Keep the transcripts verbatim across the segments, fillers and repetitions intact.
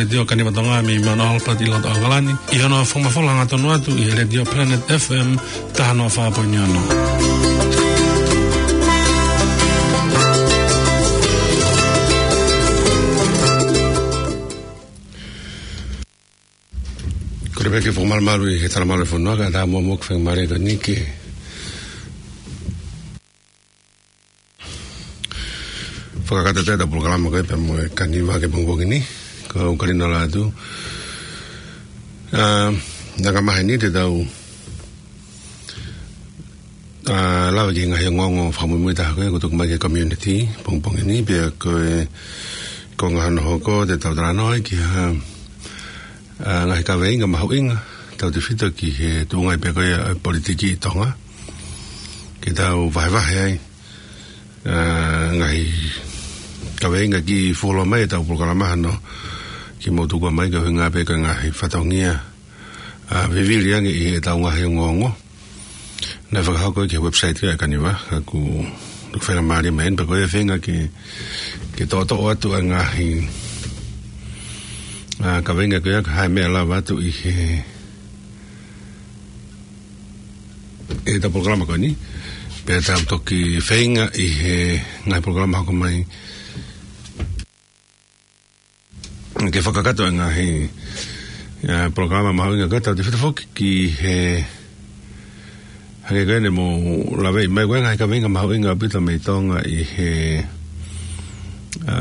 Letiō Kaniva Tonga mei Mount Albert ʻi loto ʻAokalani, ʻi hono fakamafola hangatonu atu ʻi he Letiō Planet F M taha noa fā poini ono. Kole pē ke fakamalumalu ʻi he talamalu e fonua, kae ʻatā muʻa ke fakamālō atu ni ke fakakakato atu ʻetau polokalama ko ē pea mo e Kaniva ki he pongipongi ni. Ko e kau kalino la atu. ʻA, naʻa ka maheni te tau, ʻa, lave ki he ngaahi ongoongo fakamuimui taha ko ē kuo tuku mai ki he community pongipongi ni, pea ko e, ko e ngaahi hono hoko te tau talanoa ki ha, ʻa, ngaahi kaveinga mahuʻinga tautefito ki he tuʻunga pē ko ia ʻa e politiki ʻi Tonga. Ke tau vahevahe ai, ʻa, ngaahi kaveinga ki fuoloa mai ʻetau polokalama hano ke mou tuku mai ko e ʻuhinga pē ko e ngaahi fatongia, ʻa, vivili ange ʻi heʻetau ngaahi ongoongo. Naʻe fakahoko ki he website ʻa e Kaniva, ka ʻoku, ʻoku faingamālie mai eni pea ko e feinga ke, ke toʻotoʻo atu ʻa e ngaahi, ʻa, kaveinga ko ia ka ʻi ai ha meʻa lava atu ʻi he, ʻetau polokalama ko eni. Pea tau toki feinga ʻi he ngaahi polokalama hoko mai ke fakakakato e ngaahi, ʻa, polokalama mahuʻinga ko ē tautefito foki ki he, hangē ko eni mou laveʻi mai ko e ngaahi kaveinga mahuʻinga ʻaupito mei Tonga ʻi he, ʻa,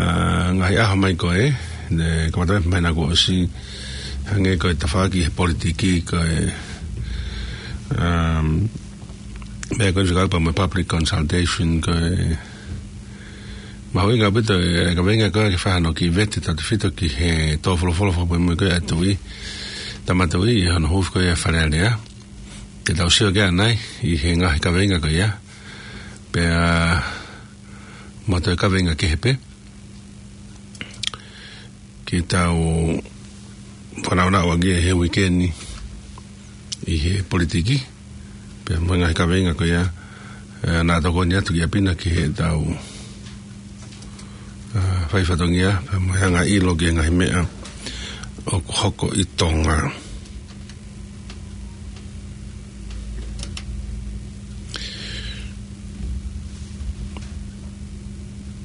ngaahi ʻaho mai ko ē, ne kamata mai naʻa kuo ʻosi, hangē ko e tafaʻaki he politiki ko e, um, meʻa ko eni fekauʻaki pea mo e public consultation ko e mahuʻinga ʻaupito e kaveinga ko ē ke fai hano kiʻi vete tautefito ki he tō folofola fakamuimui ko ē ʻa e Tuʻi, Tama Tuʻi ʻi hono huufi ko ē ʻa e Fale Alea. Te tau sio ki ai ʻanai ʻi he ngaahi kaveinga ko ia. Pea mo ha toe kaveinga kehe pē. Ke tau fanongo ʻaki he uike ni ʻi he politiki, pea mo e ngaahi kaveinga ko ia, ʻa, naʻa tokoni atu ki ʻapi na ki heʻetau, ʻa, fai fatongia, pea mo e anga ʻilo ki he ngaahi meʻa ʻoku hoko ʻi Tonga.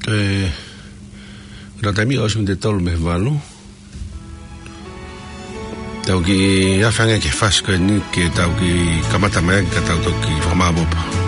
ʻE, ʻoku taimi ʻosi mei he tolu mei he valu. Tau kiʻi afe ange ki he fasi ko eni ke tau kiʻi kamata mai ke tau toki fakamāopoopo.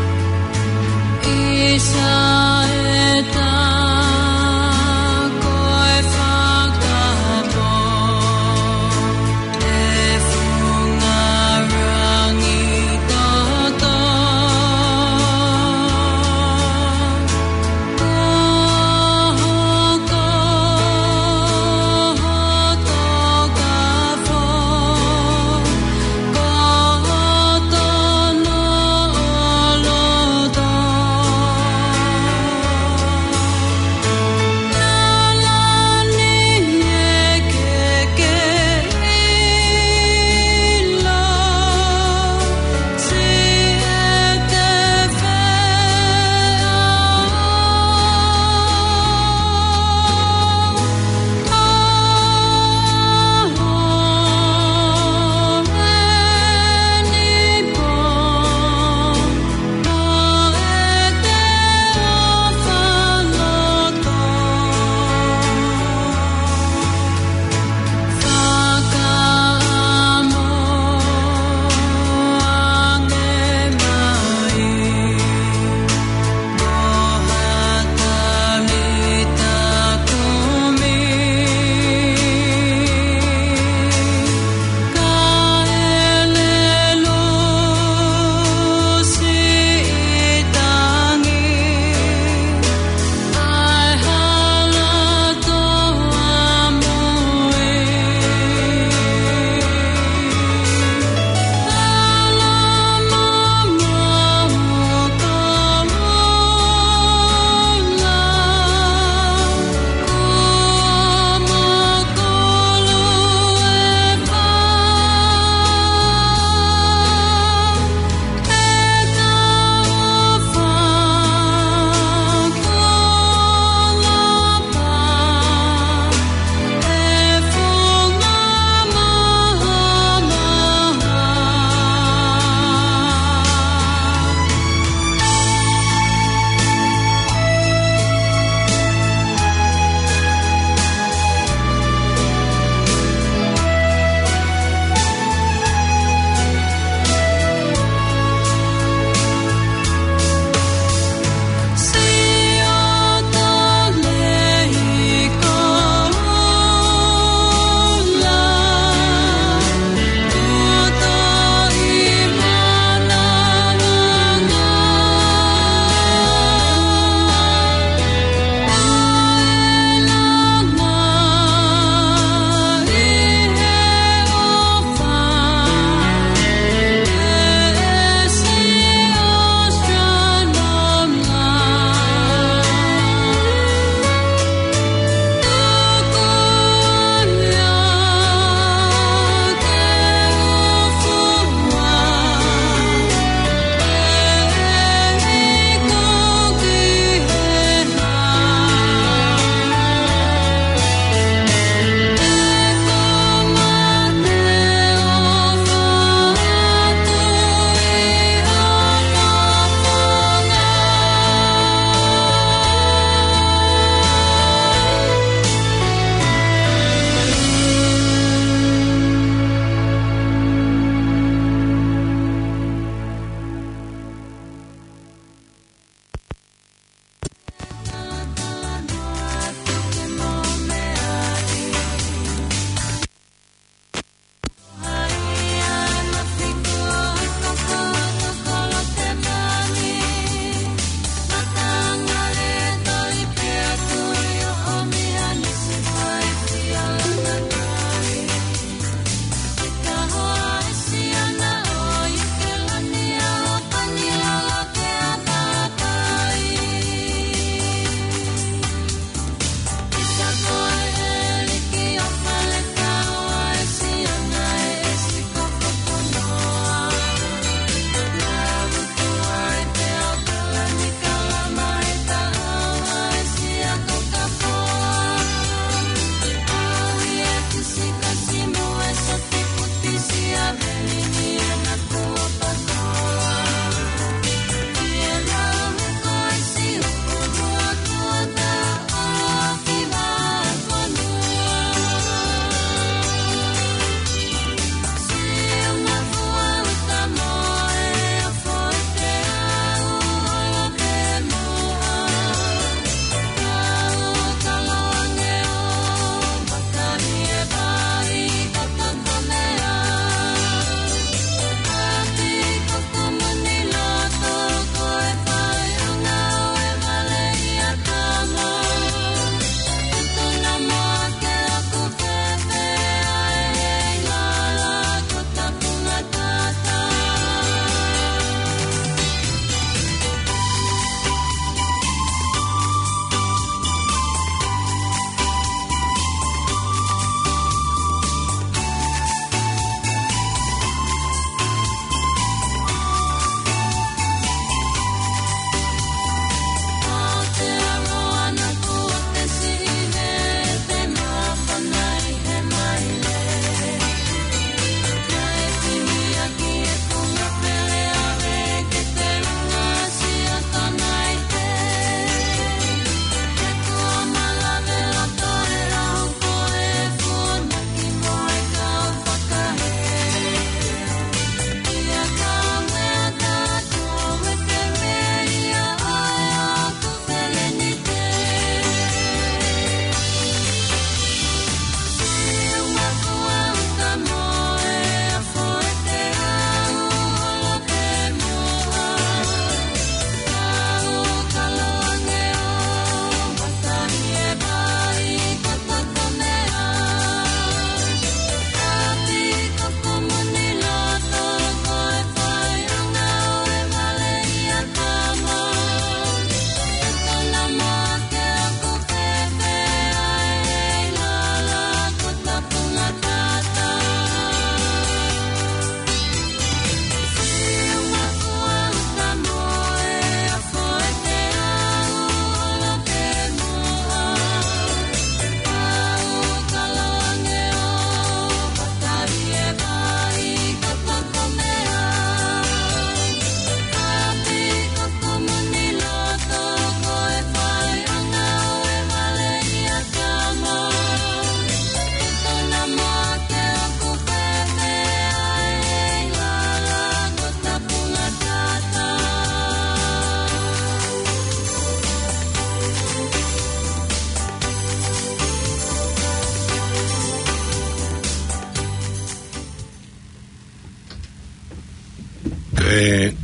ʻE,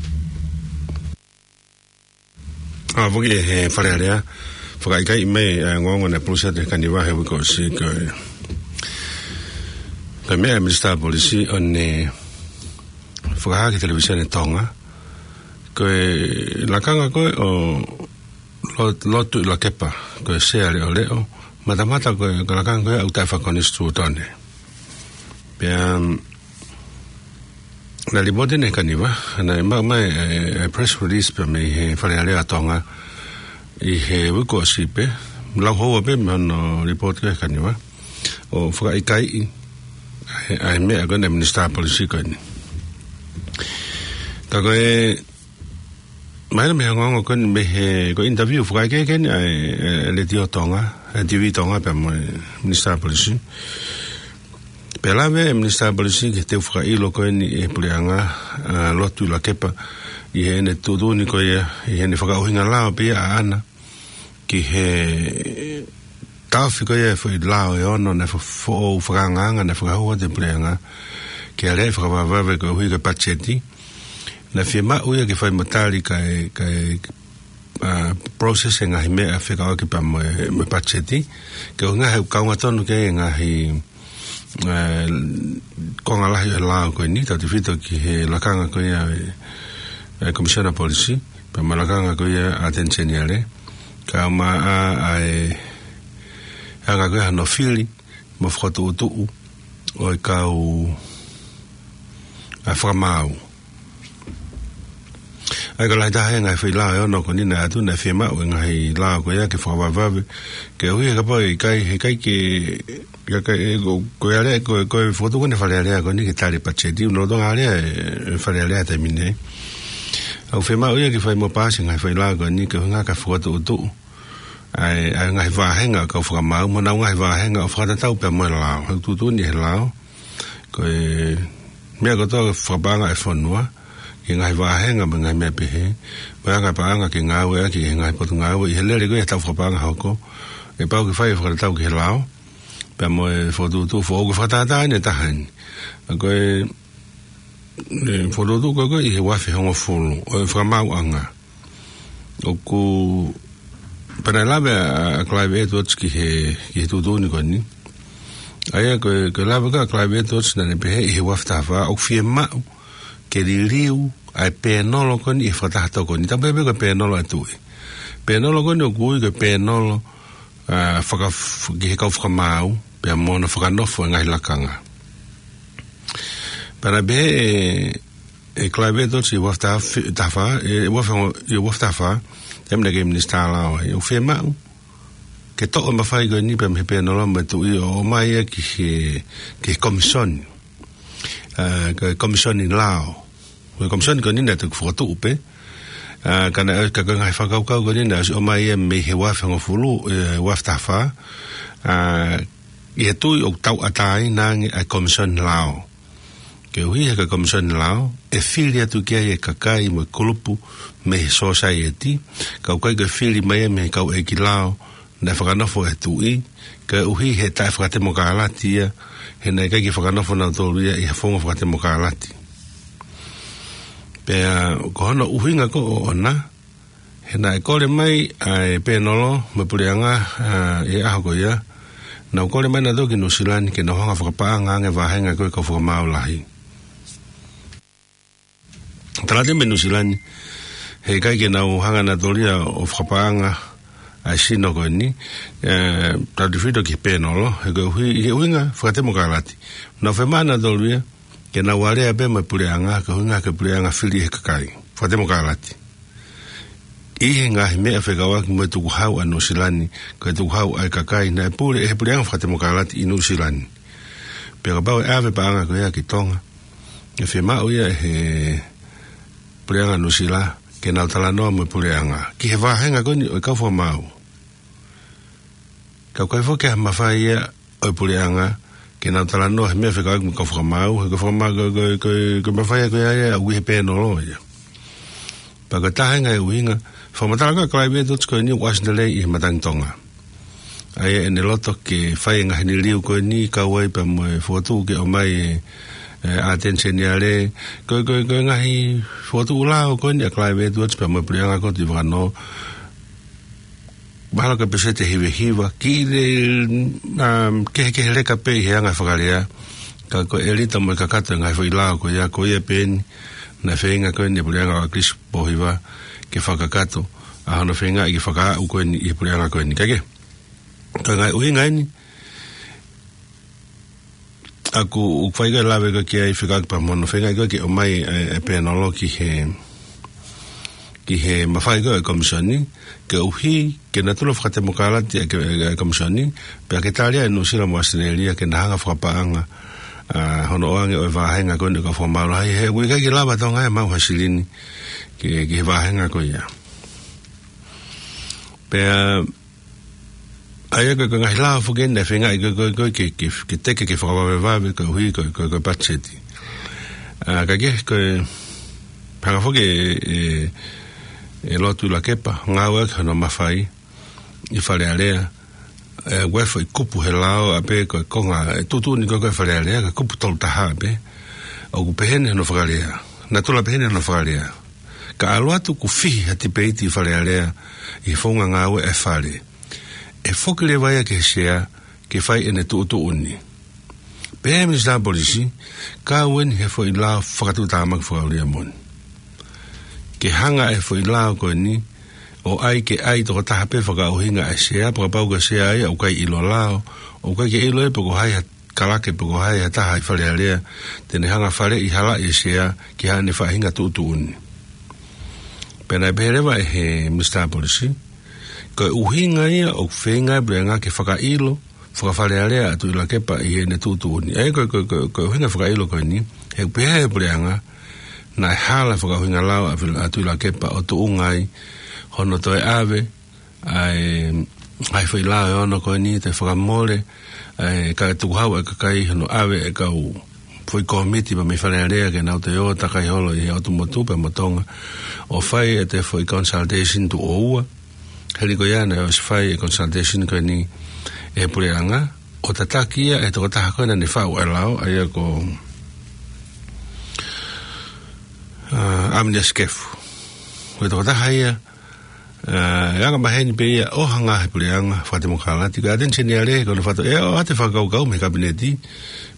ʻa, foki ʻe he Fale Alea, fakaʻikaiʻi mai ʻa e ongoongo naʻe pulusi atu ʻe he Kaniva he uike kuo ʻosi ko e, ko e meʻa ʻa e Minisitā Polisi ʻo ne fakahā ki he Televīsone Tonga, ko e lakanga ko ē ʻo Lo-, Lotuʻilakepa, ko e Sea Leʻoleʻo, matamata ko e, ko e lakanga ko ē ʻoku taʻefakakonisitūtone. Pea, um, naʻe lipooti ʻe he Kaniva, naʻe maʻu mai e, e press release pē mei he Fale Alea ʻa Tonga ʻi he uike kuo ʻosi pē, lau houa pē mei hono lipooti ʻe he Kaniva, ʻo fakaʻikaiʻi ʻa e, ʻa e meʻa ko ē ʻa e Minisitā Polisi ko eni. Ka ko e, mahino mei he ongoongo ko eni mei he, ko e interview fakaʻekeʻeke eni ʻa e, e, e Letiō Tonga, e TV Tonga pea mo e Minisitā Polisi. Pea lave e Minisitā Polisi ki he teu fakaʻilo ko eni ʻe he puleʻanga, ʻa, Lotuʻilakepa, ʻi heʻene tuʻutuʻuni ko ia, ʻi heʻene fakaʻuhinga lao pē ia ʻaʻana ki he taʻofi ko ia e foʻi lao ʻe ono naʻe fo-, foʻou fakaangaanga naʻe fakahū atu ʻe he puleʻanga ke aleaʻi fakavavevave koeʻuhi ko e patiseti. Naʻe fiemaʻu ia ke fai mo tali kae, kae, ʻa, process e ngaahi meʻa fekauʻaki pea mo e, mo e patiseti. Koeʻuhi he ʻoku kaungatonu ki ai e ngaahi, ʻa, konga lahi ʻo e lao ko eni, tautefito ki he lakanga ko ia ʻa e, ʻa e Komisiona Polisi, pea mo e lakanga ko ia ʻa e ʻAteni Seniale. Kae ʻumaʻā ʻa e, ʻa e anga ko ia hono fili mo fakatuʻutuʻu ʻo e kau, ʻa, fakamaau. ʻA ia ko e lahi taha e ngaahi foʻi lao ʻe ono ko eni naʻe ʻatu naʻe fiemaʻu e ngaahi lao ko ia ke fakavavevave, koeʻuhi he kapau ʻe ʻikai, he ʻikai ke, ke, ke, ko, ko e alea, ko, ko e fokotuʻu ko eni e Fale Alea ko eni ke tali e patiseti, ʻoku lolotonga alea e, e Fale Alea he taimi ni. ʻOku fiemaʻu ia ke fai mo paasi e ngaahi foʻi lao ko eni koeʻuhi kae fakatuʻutuʻu ʻa e, ʻa e ngaahi vāhenga ʻo e kau fakamaau, mo honau ngaahi vāhenga ʻo fakatatau pea mo e lao. He ʻoku tuʻutuʻuni ʻe he lao ko e meʻa kotoa fakapaʻanga ʻa e fonua, ki he ngaahi vāhenga mo e ngaahi meʻa pehē, mo e anga e paʻanga ke ngāueʻaki ʻe he ngaahi potungāue ʻi he lele ko ia ʻa e tau fakapaʻanga hoko, ʻe pau ke fai ʻo fakatatau ki he lao, pea mo e fokotuʻutuʻu foʻou. Ko e fakatātā eni ʻe taha eni. ʻA ko e, e fokotuʻutuʻu ko ē ko ē ʻi he ua afe hongofulu ʻo e fakamaauʻanga. ʻOku, pea naʻe lave ʻa, ʻa Clive Edwards ki he, ki he tuʻutuʻuni ko eni. ʻA ia ko e, ko e lave ko ē ʻa Clive Edwards naʻa ne pehē ʻi he ua afe taha fā, ʻoku fiemaʻu ke liliu ʻa e pēnolo ko eni ʻi he fakataha tokoni. Tapu pē ko e pēnolo ʻa e tuʻi. Pēnolo ko eni ʻoku ui ko e pēnolo, ʻa, faka-, ki he kau fakamaau, pea mo hono fakanofo e ngaahi lakanga. Pea naʻe pehē ʻe, ʻe Clive Edwards ʻi he ua afe taha fā, ʻe, ua afe, ʻi he ua afe taha fā, taimi naʻe kei minisitā lao ai, ʻoku fiemaʻu ke toʻo e mafai ko eni pea mei he pēnolo mo e tuʻi ʻo ʻomai ia ki he, ki he komisoni. ʻA, ko e komisoni lao. Ko e komisoni ko eni naʻe toki fokotuʻu pē. ʻA, ka naʻe, ka ko e ngaahi fakakaukau ko eni naʻe ʻosi ʻomai ia mei he ua afe hongofulu, ʻe, ua afe taha fā. ʻA, ʻi he tui ʻoku tauʻatāina ange ʻa e komisoni lao. Koeʻuhi he ko e komisoni lao, ʻe fili atu ki ai e kakai mo e kulupu mei he sōsaieti, ka ʻoku ʻikai ko e fili mai ia mei he kau ʻeiki lao naʻe fakanofo ʻe he tuʻi, koeʻuhi he taʻefakatemokālati ia, he naʻe ʻikai ke fakanofo nautolu ia ʻi ha founga fakatemokālati. Pea ko hono ʻuhinga ko ē ʻoʻona, he naʻe kole mai ʻa e pēnolo mo e puleʻanga, ʻa, ʻi he ʻaho ko ia, naʻa nau kole mai nautolu ki Nuʻusila ni ke nau hanga ʻo fakapaʻanga ange e vāhenga ko ē ʻo e kau fakamaau lahi. Tala atu mei Nuʻusila ni, he ʻikai ke nau hanga nautolu ia ʻo fakapaʻanga ʻa e sino ko eni, ʻe, tautefito ki he pēnolo, he koeʻuhi, he ʻuhinga fakatemokālati. Naʻa nau fiemaʻu nautolu ia ke nau alea pē mo e puleʻanga, ko e ʻuhinga ko e puleʻanga fili ʻe he kakai. Fakatemokālati. ʻI he ngaahi meʻa fekauʻaki mo e tukuhau ʻa Nuʻusila ni, ko e tukuhau ʻa e kakai naʻe pule ʻe he puleʻanga fakatemokālati ʻi Nuʻusila ni. Pea kapau ʻe ʻave e paʻanga ko ia ki Tonga, ʻe fiemaʻu ia ʻe he puleʻanga Nuʻusila ke nau talanoa mo e puleʻanga ki he vāhenga ko eni ʻo e kau fakamaau. Ka ʻoku ʻikai foki ha mafai ia ʻo e puleʻanga ke nau talanoa he meʻa fekauʻaki mo e kau fakamaau, he ko e fakamaau, ko e, ko e, ko e, ko e mafai ia ko ia ia ʻoku ʻi he pēnolo ia. Pea ko e taha e ngaahi ʻuhinga, fakamatala ko ē ʻa Clive Edwards ko eni ʻoku ʻasi lelei ʻi he matangi Tonga. ʻA ia ʻene loto ke fai e ngaahi liliu ko eni kau ai pea mo e fokotuʻu ke ʻomai e, ʻa e ʻAteni Seniale, ko e, ko e, ko e ngaahi fokotuʻu lao ko eni ʻa e Climate Watch pea mo e Puleʻanga ko ē ʻi Vakanō. Mahalo ko e peseti ʻe hiva hiva, kiʻi lē, um, kehekehe leka pē ʻi he anga fakalea. Ka ko e ʻelita mo e kakato e ngaahi foʻi lao ko ia, ko ia pē eni naʻe feinga ko eni ʻe he Puleʻanga ʻo ʻAkilisi Pōhiva ke fakakakato ʻa hono feingaʻi ke fakaaʻu ko eni ʻi he Puleʻanga ko eni. Kae kehe, ko e ngaahi ʻuhinga eni ʻoku, ʻoku fai ko e lave ko ē ki ai fekauʻaki pea mo hono feingaʻi ko ē ke ʻomai e, e pēnolo ki he, ki he mafai ko ē e Komisioni, koeʻuhi ke natula fakatemokalati e, e, e Komisioni, pea ke tali ai ʻe Nuʻusila mo ʻAositelēlia ke na hanga fakapaʻanga ʻa hono ʻoange ʻo e vāhenga ko eni ʻoku fakamālohi, he ʻoku ʻikai ke lava ʻe Tonga ia ʻo maʻu ha silini ki, ki he vāhenga ko ia. Pea ʻa ia ko e, ko e ngaahi lao foki eni naʻe feingaʻi ko e, ko e, ko e ke, ke, ke teke ke fakavavevave koeʻuhi ko e, ko e, ko e patiseti. ʻA, kae kehe ko e hanga foki ʻe, ʻe, ʻe Lord Tuʻilakepa ʻo ngāueʻaki hono mafai ʻi Fale Alea, ʻe, ʻoku ʻi ai e foʻi kupu he lao ʻa pē ko e konga, e tuʻutuʻuni ko e, ko e Fale Alea, ko e kupu tolu taha pē, ʻoku peheni hono fakalea. Natula peheni hono fakalea: Ka ʻalu atu kuo fihi ha tipeiti ʻi Fale Alea ʻi he founga ngāue ʻa e Fale, ʻe foki leva ia ki he Sea ke fai ʻene tuʻutuʻuni. Pehē ʻe he Minisitā Polisi, kau eni he foʻi lao fakatuʻutāmaki fakaʻuliʻi moʻoni. Ke hanga ʻe he foʻi lao ko eni ʻo ʻai ke ʻai tokotaha pē fakaʻuhinga ʻa e Sea, pea kapau ko e Sea ia ʻoku ʻikai ʻilo lao, ʻoku ʻikai ke ʻilo ia pe ko hai ha kalake pe ko hai ha taha ʻi Fale Alea te ne hanga faleʻi halaʻi e Sea ki haʻane faʻahinga tuʻutuʻuni. Pea naʻe pehē leva ʻe he Minisitā Polisi, ko e ʻuhinga ia ʻoku feinga e Puleʻanga ke fakaʻilo faka-Fale Alea ʻa Tuʻilakepa ʻi heʻene tuʻutuʻuni. ʻA ia ko e, ko e, ko e, ko e ʻuhinga fakaʻilo ko eni, he ʻoku pehē ʻe he Puleʻanga naʻe hala e fakaʻuhinga lao ʻa Fil-, ʻa Tuʻilakepa ʻo tuʻunga ai hono toe ʻave ʻa e ngaahi foʻi lao ʻe ono ko eni, toe fakamole, ʻa e, ka tukuhau e kakai hono ʻave e kau foʻi kōmiti mei Fale Alea ke nau toe ō ʻo takai holo ʻi he ʻotu motu pea mo Tonga ʻo fai ʻete foʻi consultation tuʻo ua. Hili ko ia naʻe ʻosi fai e consultation ko eni ʻe he Puleʻanga ʻo tataki ia ʻe he tokotaha ko ē naʻa ne faʻu e lao, ʻa ia ko, ʻa, ʻAminiasi Kefu. Ko e tokotaha ia, ʻa, ʻe anga maheni pē ia ʻo hanga ʻe he Puleʻanga fakatemokalati, ko e ʻAteni Seniale ko hono fato, ʻe ʻoatu e fakakaukau mei he Kapineti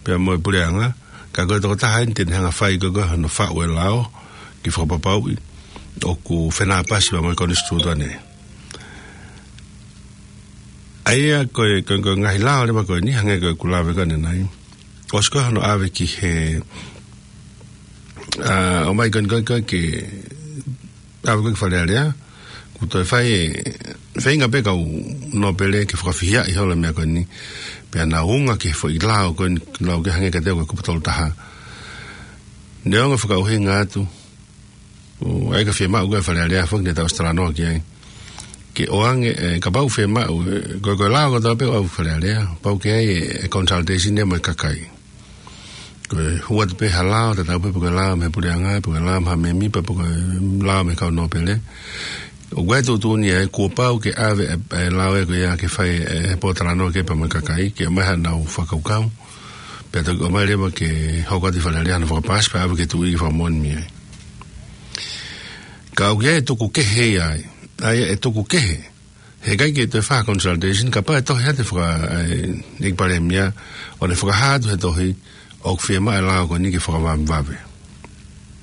pea mo e Puleʻanga, ka ko e tokotaha eni te ne hanga fai ko ē ko ē hono faʻu e lao ke fakapapauʻi ʻoku fenāpasi pea mo e Konisitūtone. ʻA ia ko e, ko e, ko e ngaahi lao leva ko eni, hangē ko ʻeku lave ko ē ʻanenai, ʻosi ko ē hono ʻave ki he, ʻa, ʻomai ko eni ko ē, ko ē ke ʻave ko ē ki Fale Alea, kuo toe fai e feinga pē kau nōpele ke fakafihiaʻi holo e meʻa ko eni, pea nau unga ki he foʻi lao ko eni, lao ke hangē kiate au ko e kupu tolu taha. Neongo e fakaʻuhinga atu, ʻo ʻai ka fiemaʻu ko ē ʻe Fale Alea foki, ne tau ʻosi talanoa ki ai, ke ʻoange, ʻe, kapau fiemaʻu, ʻe, ko e, ko e lao kotoa pē ʻoku ʻave ki Fale Alea, pau ke ʻai e, e consultation ia mo e kakai. Ko e hū atu pē ha lao, tatau pē pe ko e lao mei he Puleʻanga, pe ko e lao mei ha mēmipa, pe ko e lao mei he kau nōpele, ʻoku ʻi ai e tuʻutuʻuni ia ʻe kuo pau ke ʻave e, e lao ia ko ia ke fai e, e pōtalanoa ki ai pea mo e kakai, ke ʻomai haʻanau fakakaukau, pea toki ʻomai leva ke hoko atu ʻi Fale Alea hono fakapaasi pea ʻave ki he Tuʻi ke fakamoʻoni mei ai. Ka ʻoku ʻi ai e tuku kehe ia ai, ʻa ia e tuku kehe, he ʻikai ke toe fai ha consultation, kapau ʻe tohi atu e faka-, e, ʻEiki Palēmia, ʻo ne fakahā atu he tohi ʻoku fiemaʻu e lao ko eni ke fakavavevave.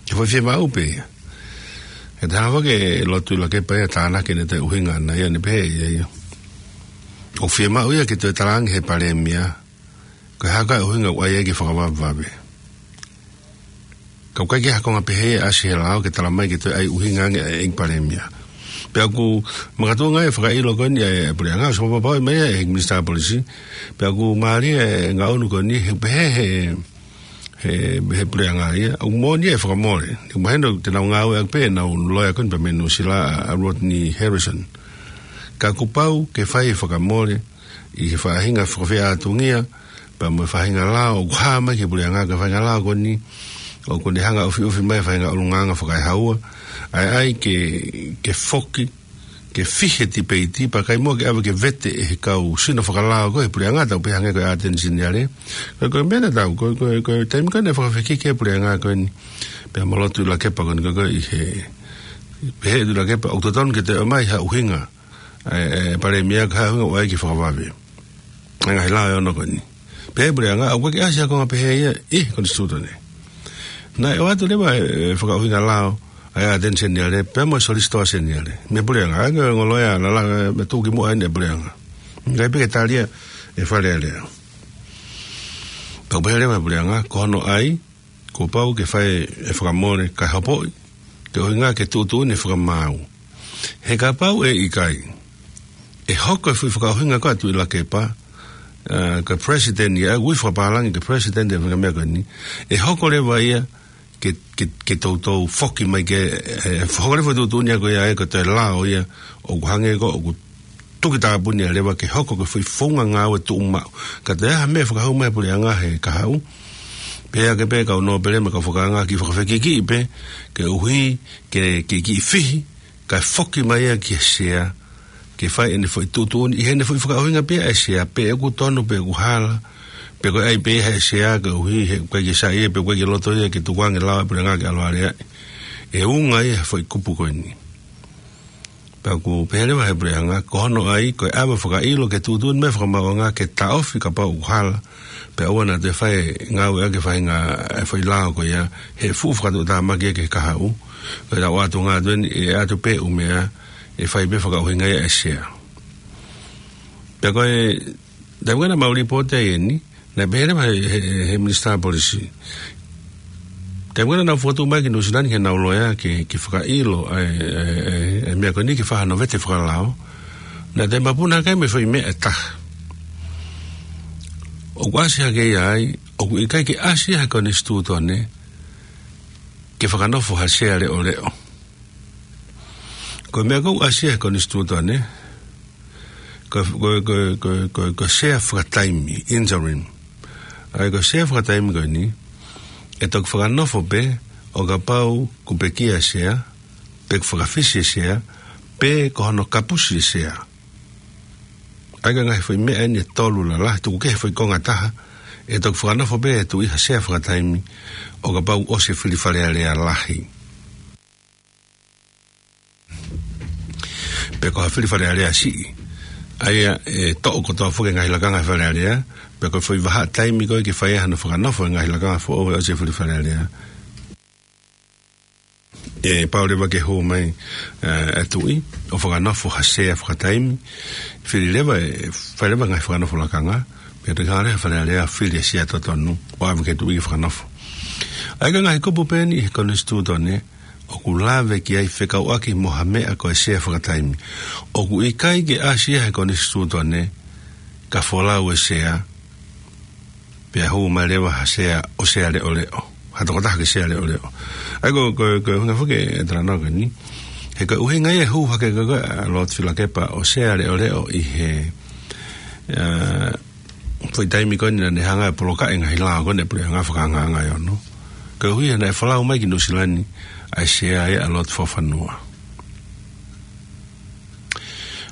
Ke fai fiemaʻu pē ia. He te hanga foki ʻe Lord Tuʻilakepa ia ʻo tānaki ʻene toe ʻuhinga ʻana ia, ne pehē ia, ia ʻoku fiemaʻu ia ke toe talaange ʻe he Palēmia ko e hā koā e ʻuhinga ʻoku ʻai ai ke fakavavevave. Ka ʻoku ʻikai ke ha konga pehē ʻe ʻasi he lao ke talamai ke toe ʻai ʻuhinga ange ʻe he ʻEiki Palēmia. Pea ʻoku makatuʻunga e fakaʻilo ko eni ʻa e Puleʻanga, ʻosi fakapapauʻi mai ʻe he Minisitā Polisi, pea ʻoku mālie e ngaʻunu ko eni, he pehē he, he, he Puleʻanga ia, ʻoku moʻoni e fakamole. ʻOku mahino te nau ngāueʻaki pē ʻenau loea ko eni pea mei Nuʻusila, ʻa Rodney Harrison. Ka kuo pau ke fai e fakamole ʻi he faʻahinga fakafeʻātungia pea mo e faʻahinga lao ʻoku hā mai ki he Puleʻanga, ko e faʻahinga lao ko eni ʻoku ne hanga ʻo ʻufiʻufi mai e faʻahinga ʻulungaanga fakaehaua, ʻa ia ʻai ke, ke foki ke fihi e tipeiti, pea ʻikai muʻa ke ʻave ke vete ʻe he kau sino fakalao ko ē he puleʻanga, tau pehē hangē ko e ʻAteni Seniale. Ko e, ko e meʻa tatau, ko e, ko e, ko e taimi ko ē naʻe fakafekiki ai e puleʻanga ko eni, pea mo Lord Tuʻilakepa ko eni ko ē, ko ē ʻi he, pehē ʻe Tuʻilakepa, ʻoku totonu ke toe ʻomai ha ʻuhinga ʻa e, ʻa e palēmia, ko e ʻuhinga ʻoku ʻai ke fakavave ʻa e ngaahi lao ʻe ono ko eni. Pea ʻi he puleʻanga, ʻoku ʻikai ke ʻasi ha konga pehē ia ʻi he konisitūtone. Naʻe ʻoatu leva e, e fakaʻuhinga lao ʻa e ʻAteni Seniale pea mo e Solisitō Seniale mei he puleʻanga, ʻa e ngaahi ngoloa ia, lala, e, mei tuʻukimuʻa eni e puleʻanga. ʻIkai pē ke tali ia ʻe he Fale Alea. Pea ʻoku pehē leva ʻe he puleʻanga, ko hono ʻai, kuo pau ke fai e fakamole kae hopoʻi, ke ʻuhinga ke tuʻutuʻuni e fakamaau. He kapau ʻe ʻikai, ʻe hoko e foʻi fakaʻuhinga ko ē ʻa Tuʻilakepa, ʻa, ko e palesiteni ia, ʻa e ui fakapālangi ko e palesiteni ʻo e faʻahinga meʻa ko eni, ʻe hoko leva ia ke, ke, ke toutou foki mai ke, ʻe, ʻe hoko leva e tuʻutuʻuni ia ko ia ʻe, ko e toe lao ia, ʻoku hangē ko ē ʻoku tuki tāpuni ia leva ke hoko ko e foʻi founga ngāue tuʻumaʻu. Ka toe ʻi ai ha meʻa fakahū mai ʻa e puleʻanga he kahaʻu, pea ke pehē ʻe he kau nōpele mo e kau fakaanga ke fakafekikiʻi pē, koeʻuhi ke, ke kiʻi fihi, kae foki mai ia ki he sea, ke fai ʻene foʻi tuʻutuʻuni, ʻi heʻene foʻi fakaʻuhinga pē ʻa e sea, pe ʻoku tonu, pe ʻoku hala, pe ko e ʻai pē ʻe he sea, koeʻuhi he ʻoku ʻikai ke saiʻia, pe ʻoku ʻikai ke loto ia ke tukuange e lao ʻa e puleʻanga ke ʻalu ʻo aleaʻi. ʻE unga ia he foʻi kupu ko eni. Pea ʻoku pehē leva ʻe he puleʻanga, ko hono ʻai, ko e ʻave fakaʻilo ke tuʻutuʻuni mai e fakamaauʻanga ke taʻofi kapau ʻoku hala, pea ʻoua naʻa toe fai e ngāueʻaki e faʻahinga e foʻi lao ko ia, he fuʻu fakatuʻutāmaki ia ki he kahaʻu. Ko e ʻoatu ngā tueni, ʻe ʻoatu pē ʻū meʻa, ʻe fai pē fakaʻuhinga ia ʻe he sea. Pea ko e taimi ko ē naʻa mau lipooti ai eni, naʻe pehē leva ʻe he, he, he, he minisitā polisi, taimi ko ē naʻa nau fokotuʻu mai ki Nuʻu Sila ni ke nau loea ke, ke fakaʻilo ʻa e, ʻa e, ʻa e, ʻa e meʻa ko eni ke fai hano vete fakalao, naʻe toe mapuna hake ai mo e foʻi meʻa ʻe taha. ʻOku ʻasi hake ia ai, ʻoku ʻikai ke ʻasi ia he konisitūtone ke fakanofo ha sea leʻoleʻo. Ko e meʻa ʻoku ʻasi ia he konisitūtone, ko, ko, ko sea fakataimi, interim. ʻA ia ko e sea fakataimi ko eni, ʻe toki fakanofo pē ʻo kapau kuo pekia e sea, pe kuo fakafisi e sea, pe ko hono kapusi e sea. ʻA ia ko e ngaahi foʻi meʻa eni ʻe tolu lalahi, tuku kehe foʻi konga ʻe taha, ʻe toki fakanofo pē ʻe he tuʻi ha sea fakataimi, ʻo kapau ʻosi e fili Fale Alea lahi. Pe ko ha fili Fale Alea siʻi. ʻA ia ʻe toʻo kotoa foki e ngaahi lakanga ʻa e Fale Alea, pe ko e foʻi vahaʻa taimi ko ē ke fai ai hano fakanofo e ngaahi lakanga foʻou ʻosi e fili Fale Alea, ʻe pau leva ke hū mai, ʻe, e tuʻi ʻo fakanofo ha sea fakataimi, fili leva, ʻe fai leva e ngaahi fakanofo lakanga, pea toki hanga leva ʻe he Fale Alea ʻo fili e sea totonu ʻo ʻave ki he tuʻi ke fakanofo. ʻA ia ko e ngaahi kupu pē eni ʻi he konisitūtone ʻoku lave ki ai fekauʻaki mo ha meʻa ko e sea fakataimi. ʻOku ʻikai ke ʻasi ia he konisitūtone ka folau e sea, pea hū mai leva ha sea ʻo sea leʻoleʻo, ha tokotaha ke sea leʻoleʻo. ʻA ia ko, ko, ko e ʻuhinga foki e talanoa ko eni, he ko e ʻuhinga ia e hū hake ko ē ʻa Lord Tuʻilakepa ʻo sea leʻoleʻo ʻi he, ʻa, foʻi taimi ko eni naʻa ne hanga ʻo polokaʻi e ngaahi lao ko eni ʻa e puleʻanga fakaangaanga ʻe ono. Koeʻuhi he naʻe folau mai ki Nuʻu Sila ni ʻa e sea ia ʻa Lord Fofanua.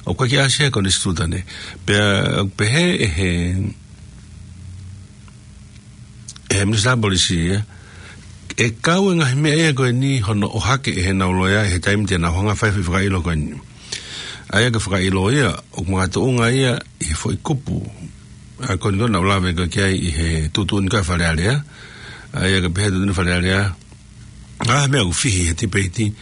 ʻOku ʻikai ke ʻasi ia he konisitūtone. Pea ʻoku pehē ʻe he, ʻe he minisitā polisi ia, ʻe kau e ngaahi meʻa ia ko eni hono ʻohake ʻe heʻenau loea ʻi he taimi te nau hanga ʻo fai e foʻi fakaʻilo ko eni. ʻA ia ko e fakaʻilo ia, ʻoku makatuʻunga ia ʻi he foʻi kupu ʻa ia ko eni naʻa ku lave ko ē ki ai ʻi he tuʻutuʻuni ko ē ʻa e Fale Alea. ʻA ia ko e pehē tuʻutuʻuni Fale Alea, ʻa e meʻa ʻoku fihi he tipeiti,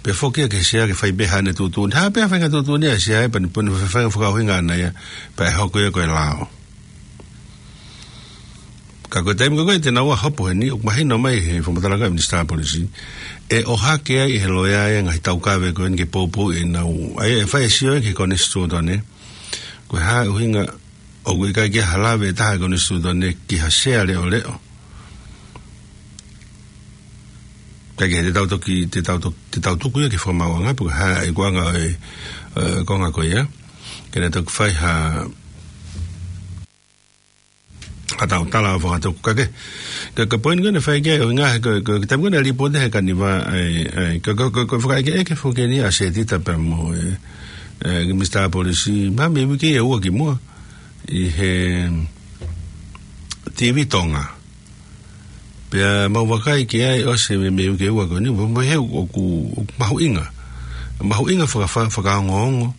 pea foki ia ki he sea ke fai pē haʻane tuʻutuʻuni. Hā pē ha faʻahinga tuʻutuʻuni ʻa e sea ia, pea ne, pea ne fai e fakaʻuhinga ʻana ia, pea ʻe hoko ia ko e lao. Ka ko e taimi ko ē te nau ō ʻo hopo heni, ʻoku mahino mai he fakamatala ko ē ʻa e minisitā polisi, ʻe ʻohake ai ʻe he loea ia e ngaahi taukave ko eni ke poupou ʻenau, ʻa ia ʻe fai e sio ia ki he konisitūtone, ko e hā e ʻuhinga ʻoku ʻikai ke ʻi ai ha lave ʻe taha ʻa e konisitūtone ki ha sea leʻoleʻo. Kae kehe te tau toki, te tau toki, te tau tuku ia ki he fakamaauʻanga, pe ko e hā e ikuʻanga ʻo e, ʻo e konga ko ia, ke ne toki fai ha, ha tautala ʻo fakatuku. Kae kehe, ko e, ko e poini ko ē naʻe fai ki ai e ʻuhinga, ko e, ko e, ko e taimi ko ē naʻe lipooti he Kaniva, ʻa e, ʻa e, ko e, ko e, ko e, ko e fakaʻekeʻeke foki eni ʻa Setita pea mo e, ʻe, ki Minisitā Polisi, mahalo mei he uike ʻe ua ki muʻa, ʻi he TV Tonga. Pea mau vakai ki ai ʻosi mei, mei he uike ʻe ua ko eni, mo, mo he ʻoku, ʻoku mahuʻinga. Mahuʻinga faka-, fa-, fakaongoongo,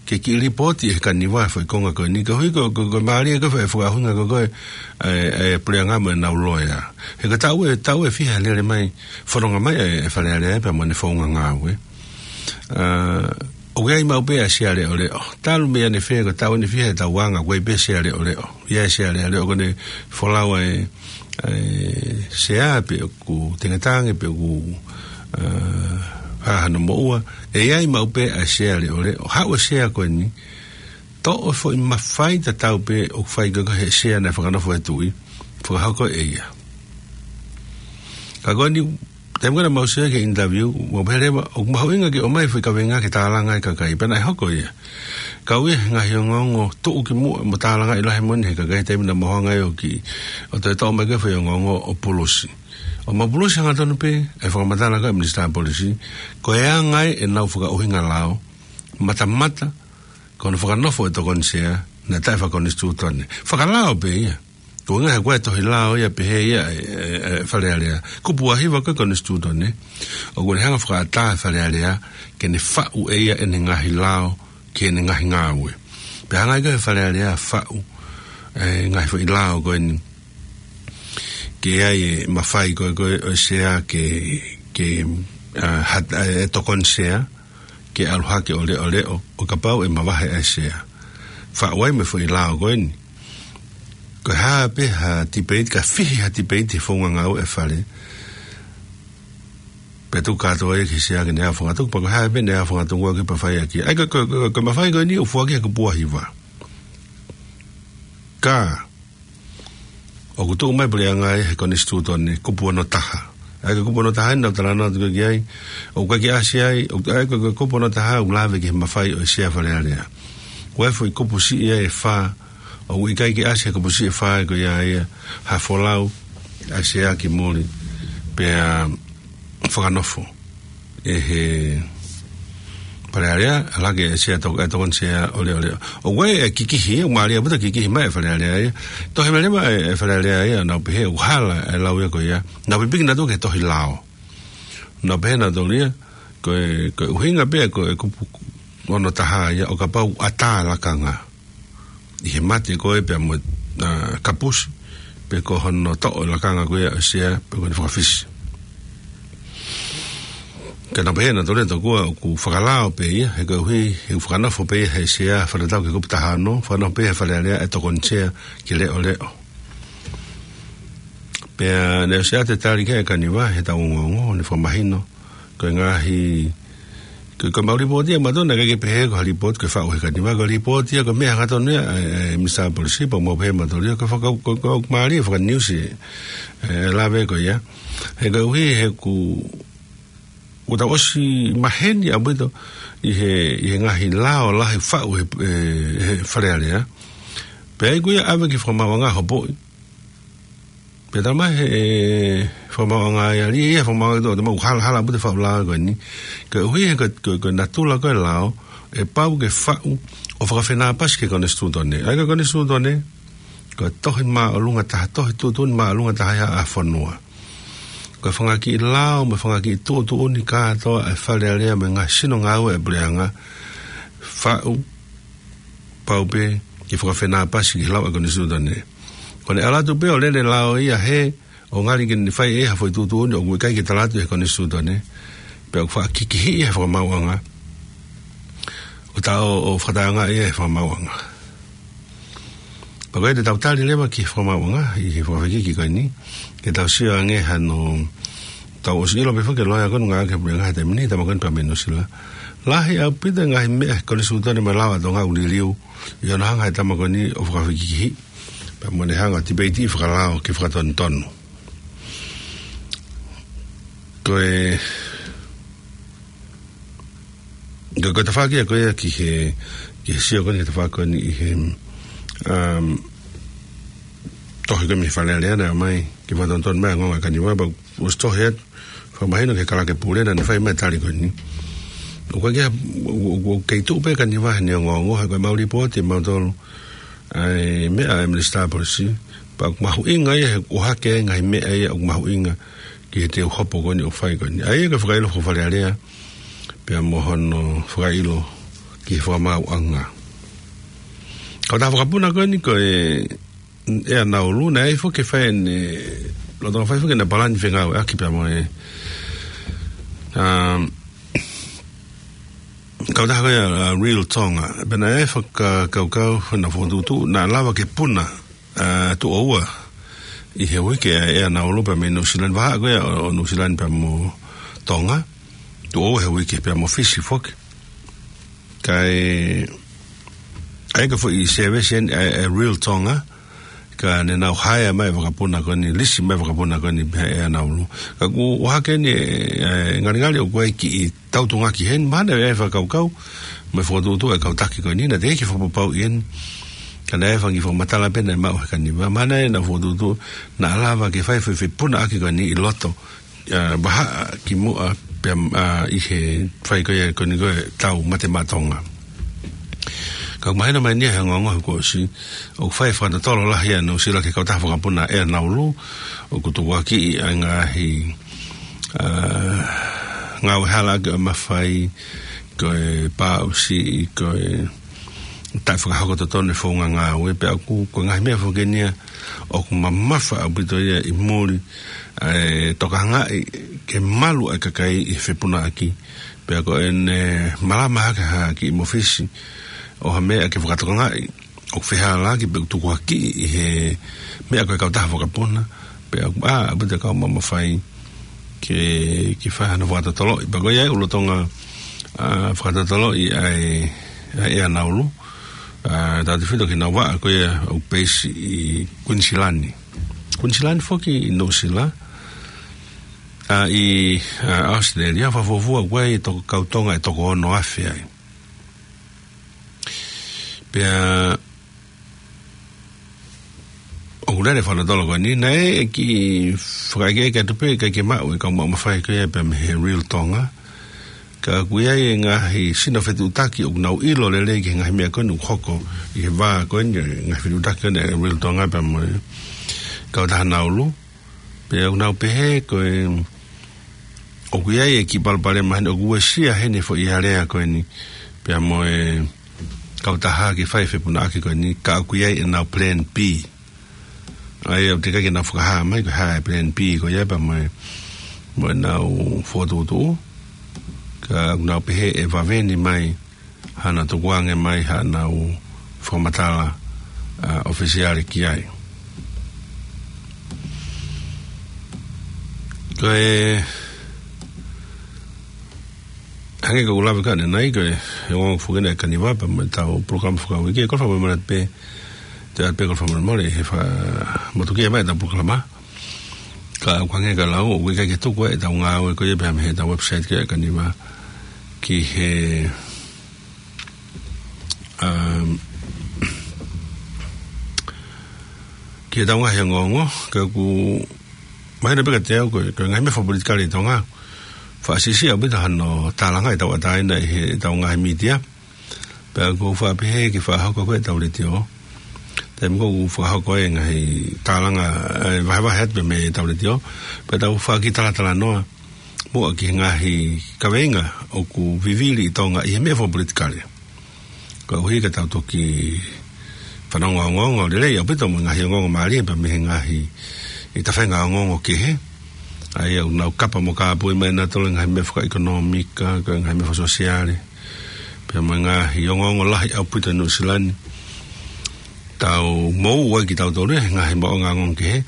ke kiʻi lipooti ʻe he Kaniva e foʻi konga ko eni, koeʻuhi ko, ko, ko e mālie ko e fa-, e fakaʻuhinga ko ē, ʻa e, ʻa e puleʻanga mo ʻenau loea. He ko e taʻu ʻe, taʻu ʻe fiha lele mai, fononga mai e, e Fale Alea pea mo ʻene founga ngāue. ʻA, ʻoku ʻi ai maʻu pē ʻa e Sea Leʻoleʻo. Talu mei ʻanefē ko e taʻu ʻe fiha ʻetau anga, ʻoku ʻi ai pē Sea Leʻoleʻo. ʻI ai e Sea Leʻoleʻo ko ʻene folau ʻa e, ʻa e Sea pe ʻoku tengetange pe ʻoku, ʻa, hā hano moʻua. ʻE ʻi ai maʻu pē ʻa e Sea Leʻoleʻo. Haʻu e Sea ko eni, toʻo e foʻi mafai tatau pē ʻoku fai ko ē he Sea naʻe fakanofo ʻe he Tuʻi, fakahoko ʻe ia. Ka ko eni, taimi ko ē naʻa mau sio ki he interview, mau pehē leva, ʻoku mahuʻinga ke ʻomai e foʻi kaveinga ke tālanga e kakai, pea naʻe hoko ia. Kau ia he ngaahi ongoongo tuʻu ki muʻa mo tālangaʻi lahi moʻoni ʻe he kakai taimi naʻa mau hanga ai ʻo kiʻi, ʻo toe toʻo mai ko ē e foʻi ongoongo ʻo pulusi. ʻO mau pulusi hangatonu pē e fakamatala ko ē ʻa e Minisitā Polisi, ko e anga ia ʻenau fakaʻuhinga lao, matamata, ko hono fakanofo e Tokoni Sea, naʻe taʻefakakonisitūtone. Fakalao pē ia. Ko e ʻuhinga he ko e tohi lao ia pehē ia e, e, e Fale Alea. Kupu ʻa hiva ko ē konisitūtone. ʻOku ne hanga fakaʻatā e Fale Alea, ke ne faʻu ʻe ia ʻene ngaahi lao, ki heʻene ngaahi ngāue. Pea hanga ai ko ē he Fale Alea faʻu, e ngaahi foʻi lao ko eni. Ke ʻi ai e mafai ko ē, ko ē ʻo e Sea ke, ke, ʻa, hat-, ʻa, e Tokoni Sea, ke ʻalu hake ʻo leʻoleʻo, ʻo kapau ʻe mavahe ʻa e Sea. Faʻu ai mo e foʻi lao ko eni. Ko e hā pē ha tipeiti, ka fihi ha tipeiti he founga ngāue e Fale. Pea tuku kātoa ia ki he Sea ke ne aofangatuku, pea ko e hā pē ʻene aofangatuku ʻaki pea fai ʻaki. ʻA ia ko, ko, ko, ko e mafai ko eni ʻoku foaki he kupu ʻa hiva. Ka, ʻoku tuʻu mai e puleʻanga ia he konisitūtone, kupu ono taha. ʻA ia ko e kupu ono taha ʻeni naʻa ku talanoa atu ki ai, ʻoku ʻikai ke ʻasi ai, ʻo, ʻa ia ko, ko e kupu ono taha ʻoku lave ki he mafai ʻo e Sea Fale Alea. ʻOku ʻi ai e foʻi kupu siʻi ia ʻe fā, ʻoku ʻikai ke ʻasi he kupu siʻi ʻe fā ko ia ia, ha folau ʻa e Sea ki muli, pea fakanofo ʻe he Fale Alea, ʻalu hake e Sea Tok-, e Tokoni Sea ʻo leʻoleʻo. ʻOku ʻi ai e kikihi, ʻoku mālie ʻaupito e kikihi mai e Fale Alea ia. Tohi mai leva e, e Fale Alea ia, nau pehē ʻoku hala e lau ia ko ia. Nau pipiki nautolu ki he tohi lao. Nau pehē nautolu ia, ko e, ko e ʻuhinga pē ko e kupu ono taha ia ʻo kapau ʻatā e lakanga ʻi he mate ko ē pea mo, ʻa, kapusi, pe ko hono toʻo e lakanga ko ia ʻo e Sea, pe ko hono fakafisi. Ka nau pehē nautolu ia tokua ʻoku fakalao pē ia, he koeʻuhi, he fakanofo pē ia he Sea, fakatatau ki he kupu taha ono, fakanofo pē he Fale Alea e Tokoni Sea ke leʻoleʻo. Pea naʻe ʻosi ʻa e tali ki ai e Kaniva, heʻetau ongoongo, ʻo ne fakamahino, ko e ngaahi, ko, ko ʻemau lipooti ia ʻamautolu naʻe ʻikai ke pehē ko ha lipooti ko e faʻu ʻe he Kaniva, ko e lipooti ia ko e meʻa hangatonu ia ʻa e, ʻa e Minisitā Polisi, pea mau pehē ʻamautolu ia ko e faka-, ko, ko, ko e mālie fakaniusi, e, lave ko ia. He koeʻuhi he ʻoku, ʻoku tau ʻosi maheni ʻaupito ʻi he, ʻi he ngaahi lao lahi faʻu ʻe he, e, he Fale Alea. Pea ʻi ai ko ia ʻave ki he Fakamaauʻanga hopoʻi. Pea talamai ʻe he, e, Fakamaauʻanga ia, ʻi he Fakamaauʻanga ʻoku tau, tau mau hala, hala ʻaupito e faʻu lao ko eni. Koeʻuhi he ko, ko, ko e natula ko ē e lao, ʻe pau ke faʻu ʻo fakafenāpasi ki he konisitūtone. ʻA ia ko e konisitūtone, ko e tohi māʻolunga taha, tohi tuʻutuʻuni māʻolunga taha ia ʻa e fonua. Ko e fanga kiʻi lao, mo e fanga kiʻi tuʻutuʻuni kātoa ʻa e Fale Alea mo e ngaahi sino ngāue ʻa e puleʻanga, faʻu, pau pē ke fakafenāpasi ki he lao ʻa e konisitūtone. Ko ʻene ʻalu atu pē ʻo lele lao ia hē, ʻo ngali ke ne fai ʻe ia ha foʻi tuʻutuʻuni ʻoku ʻikai ke tala atu ʻe he konisitūtone, pea ʻoku faʻa kikihiʻi ia ʻe he Fakamaauʻanga, ʻo tau, ʻo fakataʻeʻaongaʻi ia ʻe he Fakamaauʻanga. Pea ko ia te tau tali leva ki he Fakamaauʻanga, ʻi he fakafekiki ko eni, ke tau sio ange hano, tau ʻosi ʻilo pē foki e loea ko eni ngāue ki he puleʻanga he taimi ni, tama ko eni pea mei Nuʻu Sila. Lahi ʻaupito e ngaahi meʻa he konisitūtone mo e lao ʻa Tonga ʻoku liliu, ʻi hono hanga ʻe he tama ko eni ʻo fakafikihi, pea mo ʻene hanga ʻo tipeitiʻi fakalao ke fakatonutonu. Ko e, ko, ko e tafaʻaki ia ko ia ki he, ki he sio ko eni, ki he tafaʻaki ko eni ʻi he, um, tohi ko ē mei he Fale Alea naʻe ʻomai, ke fakatonutonu mai e ongoongo ʻa e Kaniva, pea ʻosi tohi atu, fakamahino ki he Kalake Pule naʻa ne fai mai e tali ko eni. ʻOku ʻikai ke, ʻoku, ʻoku, ʻoku kei tuʻu pē ʻa Kaniva heʻene ongoongo, he ko e mau lipooti ʻe mautolu ʻa e meʻa ʻa e Minisitā Polisi, pea ʻoku mahuʻinga ia he ʻohake ai e ngaahi meʻa ia ʻoku mahuʻinga ki he teu hopo ko eni ʻoku fai ko eni. ʻA ia ko e fakaʻilo fakafalealea, pea mo hono fakaʻilo ki he fakamaauʻanga. Kautaha vakapuna ko eni ko e ʻEa Naulu, naʻe ʻi ai foki e fai ʻene, lolotonga fai foki ʻene palani fengāueʻaki pea mo e, um, kautaha ko ia, uh, Real Tonga. Pea naʻe fakakaukau, naʻe fokotuʻutuʻu, naʻa lava ke puna, uh, tuʻo ua ʻi he uike ʻa e ʻEa Naulu pea mei Nuʻu Sila ni, vahaʻa ko ia ʻo, ʻo Nuʻu Sila ni pea mo Tonga, tuʻo ua he uike pea mo Fisi foki. Kae, ʻa ia ko e foʻi service eni ʻa e, ʻa e Real Tonga, ka ne nau haea mai e vakapuna ko eni, lisi mai e vakapuna ko eni mei he ʻEa Naulu. Ka ʻoku ʻohake eni, ʻe, ʻe, ngalingali ʻoku ʻi ai e kiʻi tautuʻungaki heni, mahalo naʻe ʻi ai e fakakaukau, mo e fokotuʻutuʻu ʻa e kau taki ko eni, naʻe teʻeki fakapapauʻi eni, ka naʻe ʻi ai e fanga kiʻi fakamatala pē naʻe maʻu he Kaniva, mahalo naʻe nau fokotuʻutuʻu, naʻa lava ke fai e foʻi fepunaʻaki ko eni ʻi loto, ʻa, vahaʻa kimuʻa pea, ʻa, ʻi he fai ko ia ko eni ko e tau mate maʻa Tonga. Ka ʻoku mahino mai eni ia he ongoongo he kuo ʻosi, ʻoku fai e fakatotolo lahi ʻa Nuʻu Sila ki he kautaha vakapuna ʻEa Naulu, ʻoku tukuakiʻi ʻa e ngaahi, ʻa, ngāue halaʻaki ʻo e mafai, ko e pāʻusiʻi, ko e taʻefakahoko totonu e founga ngāue, pea ʻoku, ko e ngaahi meʻa foki eni ia ʻoku mamafa ʻaupito ia ʻi muli, ʻa e tokangaʻi ke malu ʻa e kakai ʻi he fepunaʻaki, pea ko ʻene malama hake ha kiʻi mōfisi ʻo ha meʻa ke fakatokangaʻi ʻoku fehālaaki pe ʻoku tukuakiʻi ʻi he meʻa ko e kautaha vakapuna, pea ʻoku, ʻa, ʻaupito e kau mamafa ia ke, ke fai hano fakatotoloʻi. Pea ko ia ʻoku lolotonga, ʻa, fakatotoloʻi ʻa e, ʻa e ʻEa Naulu, ʻa, tautefito ki heʻenau vaʻa ko ia ʻoku peisi ʻi Kuinisilani. Kuinisilani foki ʻi Nuʻu Sila, ʻa, ʻi, ʻa, ʻAositelēlia, fakafuofua ʻoku ʻi ai e toko, kau Tonga ʻe toko ono afe ai. Pea ʻoku lele e fakatotolo ko eni, naʻe kiʻi fakaʻekeʻeke atu pē, ʻikai ke maʻu e kau maʻu mafai ko ia pea mei he Real Tonga. Ka ʻoku ʻi ai e ngaahi sino fetuʻutaki ʻoku nau ʻilo lelei ki he ngaahi meʻa ko eni ʻoku hoko ʻi he vā ko eni, ngaahi fetuʻutaki ko eni ʻa e Real Tonga pea mo e kautaha Naulu. Pea ʻoku nau pehē ko e, ʻoku ʻi ai e kiʻi palopalema heni, ʻoku uesia heni e foʻi alea ko eni pea mo e kautaha ke fai e fepunaʻaki ko eni, ka ʻoku ʻi ai ʻenau plan B. ʻA ia ʻoku teʻeki ke nau fakahā mai ko e hā e plan B ko ia pea mo e, mo ʻenau fokotuʻutuʻu. Ka ʻoku nau pehē ʻe vave ni mai hano tukuange mai haʻanau fakamatala, ʻa, ʻofisiale ki ai. Ko e, hangē ko ʻeku lave ko ē ʻanenai, ko e, he ongoongo foki eni ʻa e Kaniva pea mo ʻetau polokalama fakauike, ko e fakamolemole pē, te u pehē ko e fakamolemole he fakamatukia mai ʻetau polokalama. Ka ʻoku hangē ka lau, ʻoku ʻikai ke tuku ʻetau ngāue ko ia pea mei heʻetau website ko ia ʻa e Kaniva ki he, um, ki heʻetau ngaahi ongoongo, ka ʻoku mahino pē kiate au ko e, ko e ngaahi meʻa fakapolitikale ʻi Tonga, faʻa siʻisiʻi ʻaupito hano tālanga ʻi he tauʻatāina ʻi heʻetau ngaahi mītia. Pea ʻoku ou faʻa pehē ke fakahoko ko ē ʻetau letiō. Taimi ko ē ʻoku fakahoko ai e ngaahi tālanga, ʻe, vahevahe atu pē mei heʻetau letiō. Pea tau faʻa kiʻi talatalanoa muʻa ki he ngaahi kaveinga ʻoku vivili ʻi Tonga ʻi he meʻa fakapolitikale. Koeʻuhi ka tau toki fanongo ongoongo lelei ʻaupito mo e ngaahi ongoongo mālie pea mei he ngaahi, ʻi he tafaʻaki ongoongo kehe. ʻA ia ʻoku nau kapa mo kāpui mai nautolu e ngaahi meʻa fakaʻekonōmika, ko e ngaahi meʻa fakasōsiale. Pea mo e ngaahi ongoongo lahi ʻaupito ʻi Nuʻu Sila ni. Tau moʻua ai kitautolu ia he ngaahi maʻuʻanga ongoongo kehe.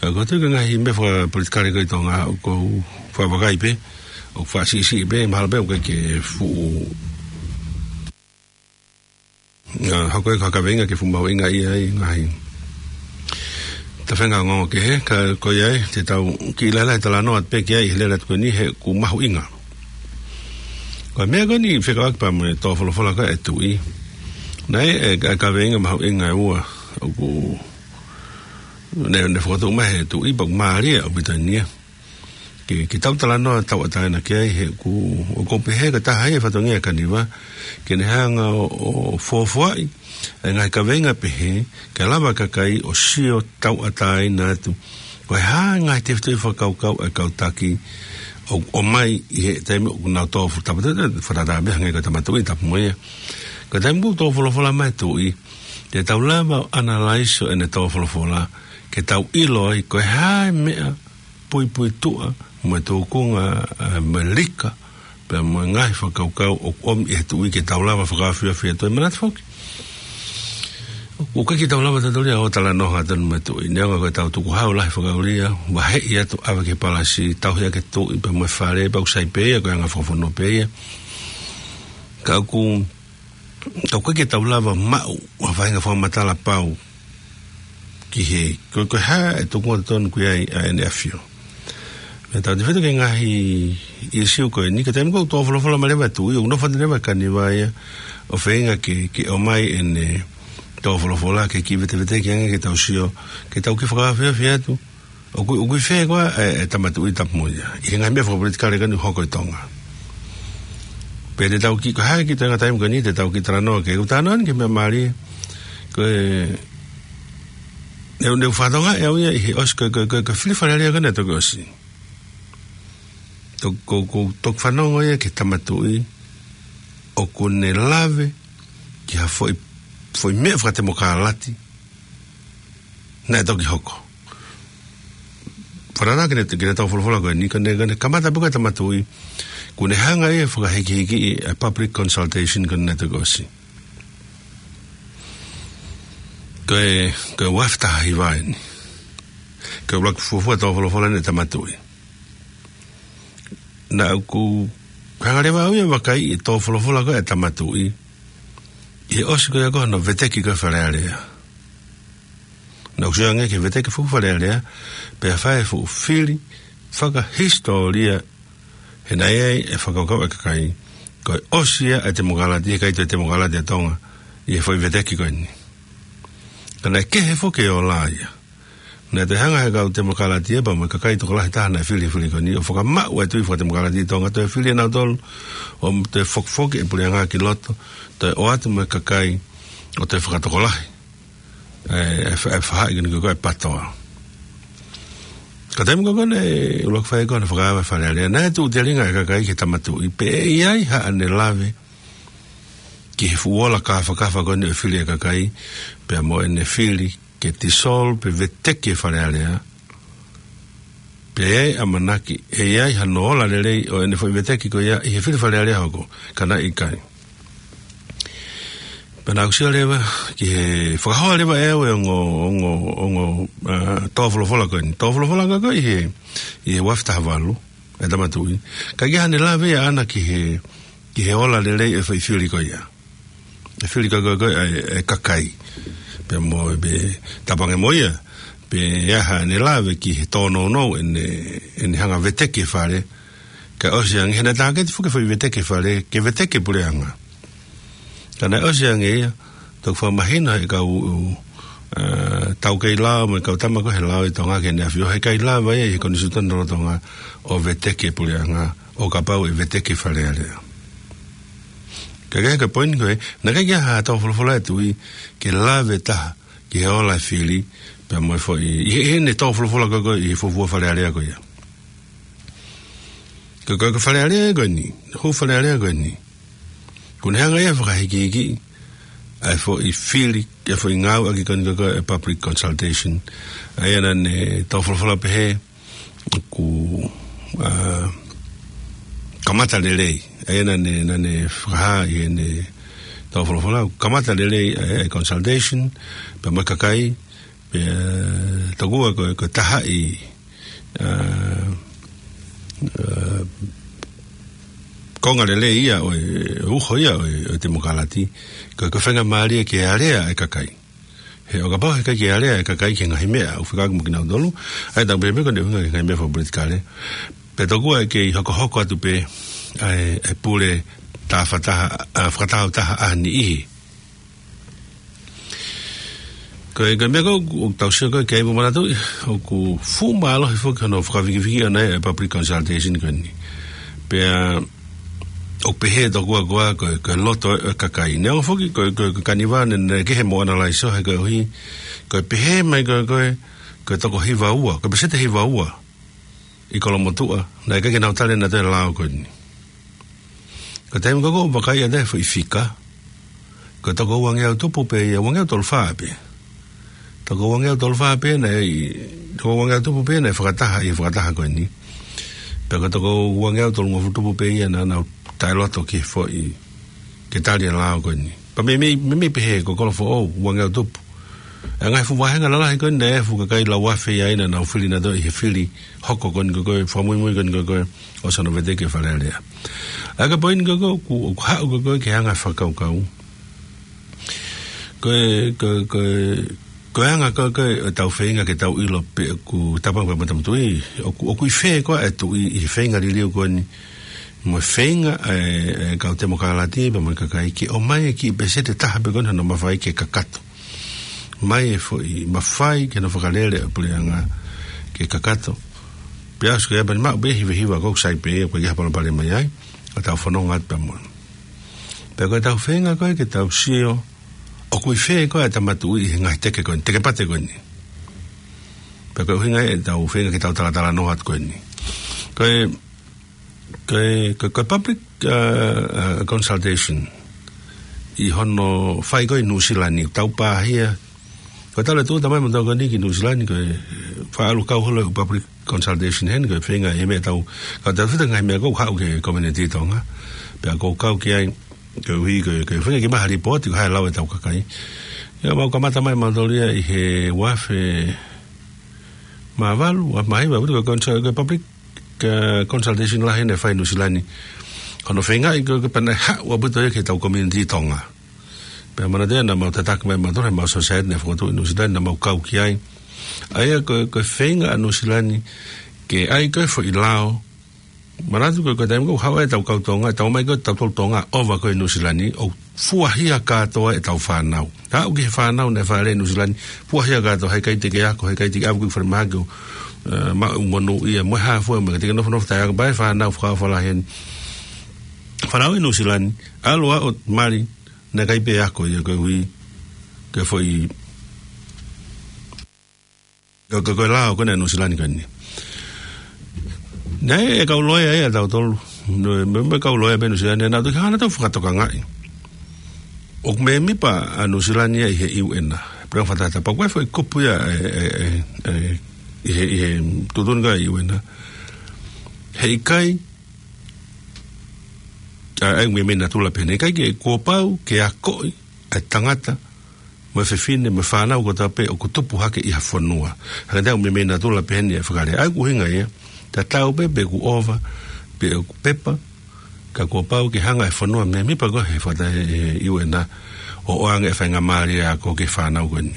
ʻA ia ko e tui ko e ngaahi meʻa fakapolitikale ko ē ʻi Tonga ʻoku ou fakavakai pē, ʻoku faʻa siʻisiʻi pē, mahalo pē ʻoku ʻikai ke fuʻu, ʻa, hoko ia ko ha kaveinga ke fuʻu mahuʻingaʻia ai e ngaahi tafaʻaki ongoongo kehe, ka ko ia ai, te tau kiʻi lahilahi talanoa atu pē ki ai he lele atu ko eni he ʻoku mahuʻinga. Ko e meʻa ko eni fekauʻaki pea mo e tō folofola ko ē ʻa e Tuʻi. Naʻe ʻi ai e, e kaveinga mahuʻinga ʻe ua, ʻoku ne, ne fokotuʻu mai he Tuʻi pea ʻoku mālie ʻaupito eni ia. ke, ke tau talanoa tauʻatāina ki ai he ʻoku, ʻoku ou pehē ko e taha ia e fatongia ʻa Kaniva, ke ne hanga ʻo, ʻo fuofuaʻi ʻa e ngaahi kaveinga pehē, ke lava e kakai ʻo sio tauʻatāina atu. Ko e hā e ngaahi tefitoʻi fakakaukau ʻa e kau taki ʻo, ʻomai ʻi he taimi ʻoku nau tō futa, fakatātā pē hangē ko e Tama Tuʻi Tapumoia. Ko e taimi ʻoku tō folofola mai e tuʻi, te tau lava ʻo analyze ʻo ʻene tō folofola, ke tau ʻilo ai ko e hā e meʻa puipuituʻa, mo e tūkunga, ē, mo e lika, pea mo e ngaahi fakakaukau ʻoku ʻomi ʻe he tuʻi ke tau lava fakaofiofi atu e manatu foki. ʻOku ʻikai ke tau lava tautolu ia ʻo talanoa atu mo e tuʻi. Neongo ko e tau tukuhau lahi fakaʻulia, vaheʻi atu ʻave ki he palasi, tauhi ʻaki e tuʻi, pea mo e fale, pea ʻoku sai pē ia, ko e anga fakafonua pē ia. Ka ʻoku, ka ʻoku ʻikai ke tau lava maʻu, ʻa e faʻahinga fakamatala pau, ki he, ko, ko e hā e tūkunga totonu ʻoku ʻi ai ʻa ʻEne ʻAfio. Pea tau tefito ki he ngaahi ʻīsiu ko eni, ka taimi ʻoku tō folofola mai leva e tuʻi, ʻoku nofo atu leva e Kaniva ia, ʻo feinga ke, ke ʻomai ʻene tō folofola, ke kiʻi veteveteki ange ke tau sio, ke tau kiʻi fakaofiofi atu, ʻoku, ʻoku ʻi fē koā e, e Tama Tuʻi Tapumoia. ʻI he ngaahi meʻa fakapolitikale ko eni ʻoku hoko ʻi Tonga. Pea te tau kiʻi, ko e hā e kiʻi toenga taimi ko eni, te tau kiʻi talanoa ki ai, ʻoku ou talanoa eni ki he meʻa mālie. Ko e, ne u, ne u fakatokangaʻi au ia ʻi he ʻosi, ko, ko, ko, ko e fili Fale Alea ko eni naʻe toki ʻosi. Toki, ko, ko, toki fanongo ia ki he Tama Tuʻi, ʻoku ne lave, ki ha foʻi, foʻi meʻa fakatemokalati, naʻe toki hoko. Fakatātā ki heʻene, ki heʻene tō folofola ko eni, ka ne, ka ne kamata pē ko e Tama Tuʻi, ʻoku ne hanga ia ʻo fakahikihiki ʻa e public consultation ko eni naʻe toki ʻosi. Ko e, ko e ua afe taha hiva eni. Ko e ʻuluaki fuofua tō folofola eni ʻa e Tama Tuʻi. Naʻá ku hanga leva au ia ʻo vakaiʻi e tō folofola ko ē ʻa e Tama Tuʻi. ʻI he ʻosi ko ia ko hono veteki ko ē Fale Alea. Naʻá ku sio ange ki he veteki fuofua Fale Alea, pea fai e fuʻu fili fakahisitōlia, he naʻe ʻi ai e fakakaukau ʻa e kakai, ko e ʻosi ia e temokalati, he ʻikai toe temokalati ʻa Tonga, ʻi he foʻi veteki ko eni. Ka naʻe kehe foki e ola ia. Naʻe toe hanga ʻe he kau temokalati ia pea mo e kakai tokolahi taha naʻe fili he fili ko eni, ʻo fakamaʻu e tui fakatemokalati ʻi Tonga, toe fili ʻe nautolu, ʻo toe fokifoki e puleʻanga ki loto, toe ʻoatu mo e kakai, ʻo toe fakatokolahi ʻa e, ʻa e fa-, ʻa e faʻahi ko eni ko e PATOA. Ka taimi ko ē naʻe ʻuluaki fai ko ē hono fakaava e Fale Alea, naʻe tuʻu telinga e kakai ki he Tama Tuʻi, pe ʻe ʻi ai haʻane lave ki he fuʻu ola kāfakafa ko eni ʻo e fili e kakai, pea mo ʻene fili ke dissolve pe veteki e Fale Alea, pe ʻe ʻi ai e ʻamanaki, ʻe ʻi ai hano ola lelei ʻo ʻene foʻi veteki ko ia ʻi he fili Fale Alea hoko, ka naʻe ʻikai. Pea naʻá ku sio leva, ki he fakahoa leva ʻe au e ongo, ongo, ongo, ā, tō folofola ko eni. Tō folofola ko ē ʻi he, ʻi he ua afe taha valu, e Tama Tuʻi. Ka ʻikai haʻane lave ia ʻaʻana ki he, ki he ola lelei e foʻi fili ko ia. E fili ko ē, ko ē, ko ē, ʻa e, ʻa e kakai. Pea mo, pe, tapange mo ia, pe ʻe ʻi ai haʻane lave ki he tōnounou ʻene, ʻene hanga veteki e fale. Kae ʻosi ange, he naʻe tāketi foki e foʻi veteki e fale, ke veteki e puleʻanga. Ka naʻe ʻosi ange ia, toki fakamahino ʻe he kau, ā, taukei lao, mo e kau tama ko ē he lao ʻi Tonga ki heʻene ʻAfio, he ʻikai lava ia ʻi he konisitūtone lolotonga ʻo veteki e puleʻanga, ʻo kapau ʻe veteki e Fale Alea. Ka ko e poini ko ē, naʻe ʻikai ke ʻi ai ha tō folofola e tuʻi, ke lave taha, ki he ola e fili, pea mo e foʻi, ʻi he, ʻi heʻene tō folofola ko ē, ko ē, ʻi he fuofua Fale Alea ko ia. Ko e, ko e, ko e Fale Alea ko eni, hū Fale Alea ko eni. ʻOku ne hanga ia ʻo fakahikihiki, ʻa e foʻi fili, ʻa e foʻi ngāueʻaki ko eni ko ē, ko e public consultation. ʻA ia naʻá ne tō folofola pehē, ʻoku, ā, kamata lelei. ʻA ia naʻá ne, naʻá ne fakahā ʻi heʻene tō folofola, kamata lelei, ā, e consultation, pea mo e kakai, pea tokua ko, ko e taha e, ā, ā, konga lelei ia ʻo e, uho ia ʻo e, ʻo e temokalati, ko, ko e faingamālie ke alea e kakai. He ʻo kapau he ʻikai ke alea e kakai ki he ngaahi meʻa ʻoku fekauʻaki mo kinautolu, ʻa ia tau pehē pē ko ʻene ʻuhinga ki he ngaahi meʻa fakapolitikale. Pea tokua ʻe kei hokohoko atu pē ʻa e, e pule tā fakataha, ā, fakataha ʻa ha niʻihi. Ko e, ko e meʻa ko ē ʻoku tau sio ko ē ki ai, mou manatuʻi, ʻoku fuʻu mālohi foki hono fakavikiviki ʻona e public consultation ko eni. Pea ʻoku pehē tokua ko ā ko e, ko e loto ʻo e kakai. Neongo foki ko e, ko e, ko e kaniva naʻe, naʻe kehe mo ʻanalaiso he koeʻuhi ko e pehē mai ko e, ko e, ko e toko hiva ua, ko e peseti hiva ua ʻi Kolomotuʻa naʻe ʻikai ke nau tali ʻenautolu e lao ko eni. Ko e taimi ko ē ʻoku vakai atu ai e foʻi fika, ko e toko uangeau tupu pē ia, uangeau tolu fā pē. Toko uangeau tolu fā pē naʻe, toko uangeau tupu pē naʻe fakataha ʻi he fakataha ko eni. Pea ko e toko uangeau tolungofulu tupu pē ia naʻa nau taʻeloto ki he foʻi, ke tali e lao ko eni. Pea meimei, meimei pehē ko Kolofoʻou, uangeau tupu. ʻA e ngaahi fuʻu vāhenga lalahi ko eni naʻe fuʻu kakai lau afe ia naʻa nau fili ʻenautolu ʻi he fili hoko ko eni ko ē, ko e fakamuimui ko eni ko ē ʻo Sano Veteki ʻa e Fale Alea. ʻA ia ko e poini ko ē ʻoku, ʻoku haʻu ko ē ki he anga e fakakaukau. Ko e, ko e, ko e, ko e anga ko ē ʻo ʻetau feinga ke tau ʻilo pe ʻoku tāpuaki pē mo e tama tuʻi, ʻoku, ʻoku ʻi fē ko ā e tuʻi ʻi he feinga liliu ko eni, mo e feinga ʻa e, ʻa e kau temokalati pea mo e kakai ke ʻomai e kiʻi peseti ʻe taha pē ko eni hono mafai ke kakato mai e foʻi mafai ke nau fakalele ʻa e puleʻanga ke kakato. Pea ʻosi ko ia pea ne maʻu pē hivahiva ko ē ʻoku sai pē ia, ʻoku ʻikai ke ha palopalema ia ai, ʻo tau fononga atu pea mo ia. Pea ko ʻetau feinga ko ē ke tau sio ʻoku ʻi fē ko ā e tama tuʻi ʻi he ngaahi teke ko eni, teke pate ko eni. Pea ko e ʻuhinga ia ʻetau feinga ke tau talatalanoa atu ko eni. Ko e, ko e, ko e, ko e public, uh, uh, consultation ʻi hono fai ko ē ʻi Nuʻusila ni, tau pāhia. Ko e tala tu tamai mo tau ko eni ki Nuʻusila ni, ko e faʻa ʻalu kau holo e public consultation heni, ko e feinga e meʻa tau, ka tau fita ngaahi meʻa ko ē ʻoku haʻu ki he community Tonga. Pea ʻoku kau ki ai, koeʻuhi ko e, ko e feinga ke maʻu ha lipooti ko e hā e lau ʻetau kakai. Ia mau kamata mai mautolu ia ʻi he ua afe mā valu, ua afe mā hiva, ko e consul-, ko e public, ko e consultation lahi naʻe fai ʻi Nuʻusila ni. Ko hono feingaʻi ko ē ke pehē naʻe haʻu ʻaupito ia ki heʻetau community Tonga. Pea manatuʻi naʻa mau tataki mai mautolu he mau society naʻe fokotuʻu ʻi Nuʻusila ni naʻa mau kau ki ai. ʻA ia ko e, ko e feinga ʻa Nuʻusila ni ke ʻai ko ē foʻi lao. Manatu ko e, ko e taimi ko ē ʻoku haʻu ai ʻetau kau Tonga, ʻetau ō mai ko ē ʻetau tolu Tonga ʻo ova ko ē ʻi Nuʻusila ni, ʻo fuahia kātoa ʻetau fānau. Haʻu ki he fānau naʻe fāʻeleʻi ʻi Nuʻusila ni, fuahia kātoa, heʻikai te ke ako, heʻikai te ke ʻalu ki falemahaki ʻo, eh, maʻu monūʻia, mo e hā fua, mo e ʻikai te ke nofonofo taʻeako, pea ʻai e fānau fakaʻofa lahi heni. Fānau ʻi Nuʻusila ni, ʻalu ʻo mali, naʻe ʻikai pē ako ia koeʻuhi ko e foʻi, ko e, ko e, ko e lao ko eni ʻa Nuʻusila ni ko eni. Naʻe ʻi ai e kau loea ia ʻatautolu. Mo e, mo e kau loea pē Nuʻusila ni, naʻa nau toki hanga ʻo fakatokangaʻi ʻoku mēmipa ʻa Nuʻusila ni ia ʻi he U N, Puleʻanga Fakatātā, pea ko e foʻi kupu ia ʻe, ʻe, ʻe, ʻe, ʻi he, ʻi he tuʻutuʻuni ko ē ʻa e U N. Heʻikai, ʻa, ʻa e meimei natula pē eni, heʻikai ke, kuo pau ke akoʻi ʻa e tangata mo e fefine, mo e fānau kotoa pē ʻoku tupu hake ʻi ha fonua. Hangē ko e meimei natula pē eni e fakalea. ʻA ia ko e ʻuhinga ia, tatau pē pe ʻoku ova, pe ʻoku pepa, ka kuo pau ke hanga e fonua mēmipa ko ē he fata-, he, he U N ʻo ʻoange e faingamālie ako ki he fānau ko eni.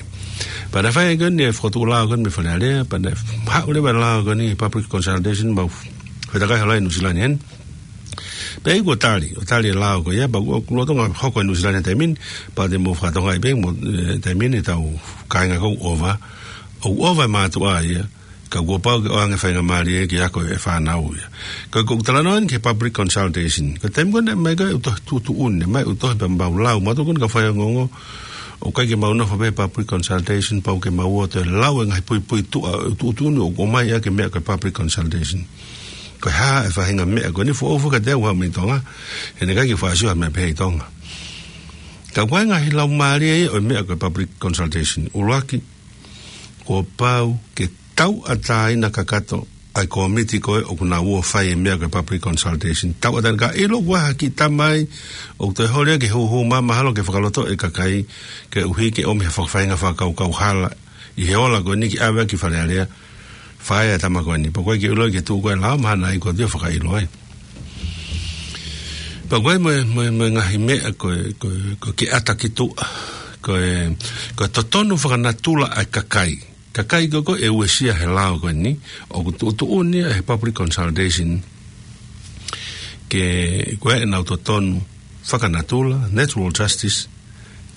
Pea naʻe fai ko eni e fokotuʻu lao ko eni mei Fale Alea, pea naʻe haʻu leva e lao ko eni public consultation, mau fetakai holo ai ʻi Nuʻusila ni heni. Pea ʻi he kuo tali, ʻo tali e lao ko ia, pea ʻoku, ʻoku lolotonga hoko ʻi Nuʻusila ni he taimi ni, pea te mou fakatokangaʻi pē mo, eh, taimi ni ʻetau kāinga ʻoku ova, ʻoku ova e mātuʻa ia, ka kuo pau ke ʻoange faingamālie ke ako e fānau ia. Ko e, ko ʻeku talanoa eni ki he public consultation. Ko e taimi ko ē naʻe ʻomai ko ē ʻeku tohi tuʻutuʻuni, ʻomai ʻeku tohi pea mau lau, mautolu ko eni kau faiongoongo, ʻoku ʻikai ke mau nofo pē he public consultation, pau ke mau ō ʻo toe lau e ngaahi puipuituʻa ʻo e tuʻutuʻuni ʻoku ʻomai ʻaki e meʻa ko e public consultation. Ko e hā e faʻahinga meʻa ko eni, foʻou foki kiate au ʻi Tonga, he naʻe ʻikai ke u faʻa sio ha meʻa pehē ʻi Tonga. Ka ko e ngaahi laumālie ia ʻo e meʻa ko e public consultation. ʻUluaki, kuo pau ke tauʻatāina kakato ʻa e kōmiti ko ē ʻoku nau ō ʻo fai e meʻa ko e public consultation. Tauʻatāina, ka ʻilo ʻoku ʻi ai ha kiʻi tama ʻoku toe holi ia ke hūhū mai, mahalo ke fakalotoʻi e kakai, koeʻuhi ke ʻomi ha fakafaʻahinga fakakaukau hala ʻi he ola ko eni ke ʻave ki Fale Alea, fai e tama ko eni. Pea ʻoku ʻikai ke u ʻilo ki he tuʻu ko ē e lao, mahalo naʻe ʻikai ke u toe fakaʻilo ai. Pea ko e mo e, mo e, mo e ngaahi meʻa ko e, ko e, ko e ke ʻata ki tuʻa, ko e, ko e totonu fakanatula ʻa e kakai. Kakai ko ē ʻoku uesia he lao ko eni, ʻoku tuʻutuʻuni ia he public consultation ke, ko ʻenau totonu fakanatula, natural justice,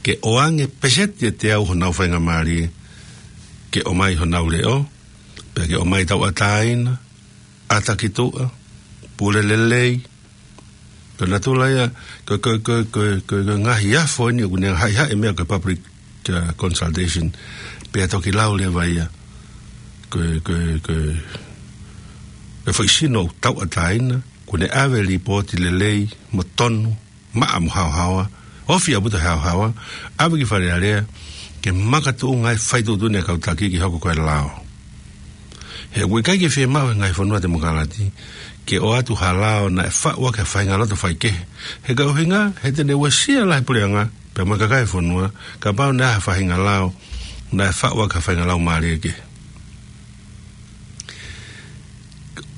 ke ʻoange peseti ʻe teau honau faingamālie, ke ʻomai honau leʻo, pea ke ʻomai tauʻatāina, ʻata ki tuʻa, pule lelei. Ko e natula ia, ko, ko, ko, ko, ko, ko e ngaahi afo eni ʻoku ne haʻihaʻi meʻa ko e public, uh, consultation. Pea toki lau leva ia, ko, ko, ko, ko e foʻi sino ʻoku tauʻatāina, ʻoku ne ʻave lipooti lelei, mo tonu, maʻa mo haohaoa, ofi ʻaupito he haohaoa, ʻave ki Fale Alea, ke makatuʻunga ai e faituʻutuʻuni ʻa e kau taki ke hoko ko e lao. He ʻoku ʻikai ke fiemaʻu he ngaahi fonua temokalati, ke ʻoatu ha lao naʻe faʻu ʻaki ha faʻahinga loto faikehe. He ko e ʻuhinga, he te ne uesia lahi e puleʻanga, pea mo e kakai e fonua, kapau naʻe ʻi ai ha faʻahinga lao, naʻe faʻu ʻaki ha faʻahinga laumālie kehe.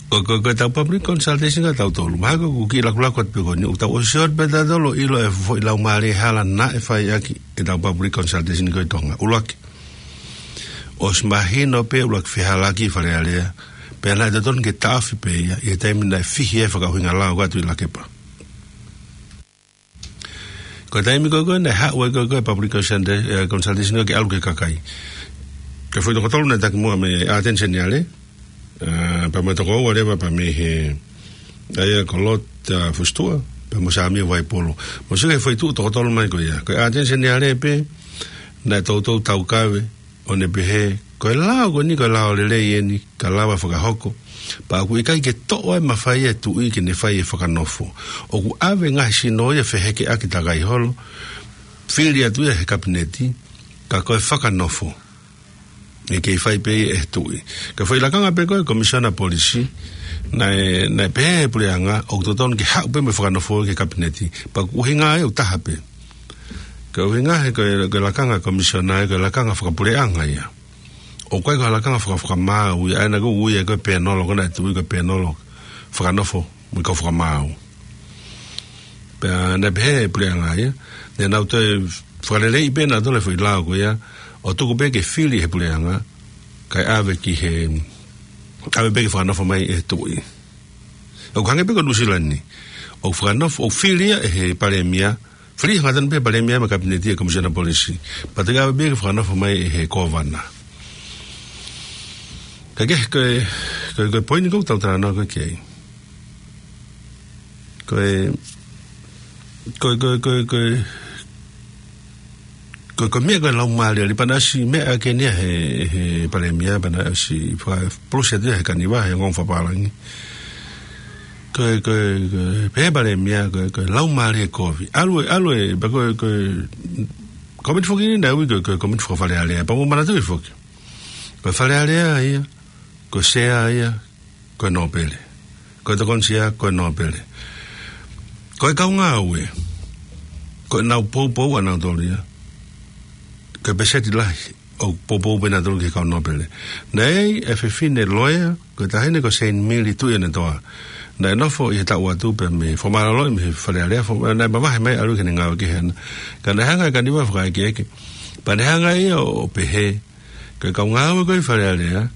Ko, ko, ko ʻetau public consultation ʻa tautolu. Mahalo ko e kiʻi lakulaku atu pē ko eni, ʻoku tau ʻosi ʻosi pē tautolu ʻilo e foʻi laumālie hala naʻe fai ʻaki ʻetau public consultation ko ē ʻi Tonga. ʻUluaki. ʻOsi mahino pē ʻuluaki fehālaaki ʻi Fale Alea. Pea naʻe totonu ke taʻofi pē ia, ʻi he taimi naʻe fihi ai e fakaʻuhinga lao ko ē ʻa Tuʻilakepa. Ko e taimi ko ē ko ē naʻe haʻu ai ko ē ko ē public consulta-, eh, consultation ko ē ke ʻalu ki he kakai. Ko e foʻi toko tolu naʻe taki muʻa mei Āteni Seniale, ah, pea mo e toko ua leva pea mei he, ʻa ia ko Lord, ah, Fusituʻa, pea mo Sāmio Vaipolo. Mou sio ki he foʻi tuʻu toko tolu mai ko ia. Ko Āteni Seniale pē, naʻe toutou taukave, ʻo ne pehē, ko e lao ko eni, ko e lao lelei eni, ka lava fakahoko. Pea ʻoku ʻikai ke toʻo ai e mafai ʻa e tuʻi ke ne fai e fakanofo. ʻOku ʻave e ngaahi sino ia ʻo fehekeʻaki takai holo, fili atu ia he kapineti, ka ko e fakanofo ʻe kei fai pē ia ʻe he tuʻi. Ko e foʻi lakanga pē ko ē Komisiona Polisi, naʻe, naʻe pehē ʻe he puleʻanga, ʻoku totonu ke haʻu pē mo e fakanofo ki he kapineti. Pea ko e ʻuhinga ia ʻoku taha pē. Ko e ʻuhinga he ko e, ko e lakanga komisiona ia, ko e lakanga fakapuleʻanga ia. ʻOku ʻikai ko ha lakanga faka-, fakamaau ia, ʻa ia naʻa ku ui ia ko e pēnolo, ko ena e tuʻi ko e pēnolo fakanofo mo e kau fakamaau. Pea naʻe pehē ʻe he puleʻanga ia, naʻa nau toe fakaleleiʻi pē ʻe nautolu e foʻi lao ko ia, ʻo tuku pē ke fili ʻe he puleʻanga, kae ʻave ki he, ʻave pē ke fakanofo mai ʻe he tuʻi. ʻOku hangē pē ko Nuʻusila ni. ʻOku fakanofo, ʻoku fili ia ʻe he palēmia, fili hangatonu pē ʻe he palēmia mo e kapineti e Komisiona Polisi. Pea toki ʻave pē ke fakanofo mai ʻe he kōvana. Ka ko e, ko e, ko e, ko e poini ʻoku tau talanoa ko ē ki ai. Ko e, ko e, ko e, ko e, ko e, ko e, ko e meʻa ko e laumālie, ʻa ia pea naʻe ʻosi meʻa ʻaki eni ia ʻe he, he palēmia, pea naʻe ʻosi faka-, polosi atu ia he kaniva, he ongoongo fakapālangi. Ko e, ko e, ko e, pehē ʻe he palēmia, ko e, ko e laumālie kovi. ʻAlu e, ʻalu e, pea ko e, ko e, komiti foki eni naʻe ui ko e, ko e komiti faka-Fale Alea, pea mou manatuʻi foki. Ko e Fale Alea ia, ko e sea ia, ko e nōpele. Ko e tokoni sea, ko e nōpele. Ko e kau ngāue, ko ʻenau poupou ʻanautolu ia, ko e peseti lahi ʻoku poupou pē ʻe nautolu ki he kau nōpele. Naʻe ʻi ai e fefine loea, ko e taʻahine ko Seini Mili Tuʻiʻonetoa. Naʻe nofo ʻi he taʻu atu pē mei he fakamālōlōʻi mei he Fale Alea, fo-, naʻe mavahe mai ʻalu ki heʻene ngāue kehe ʻana. Ka naʻe hanga ʻe he kaniva ʻo fakaʻekeʻeke. Pea ne hanga ia ʻo, ʻo pehē, ko e kau ngāue ko ē ʻi Fale Alea,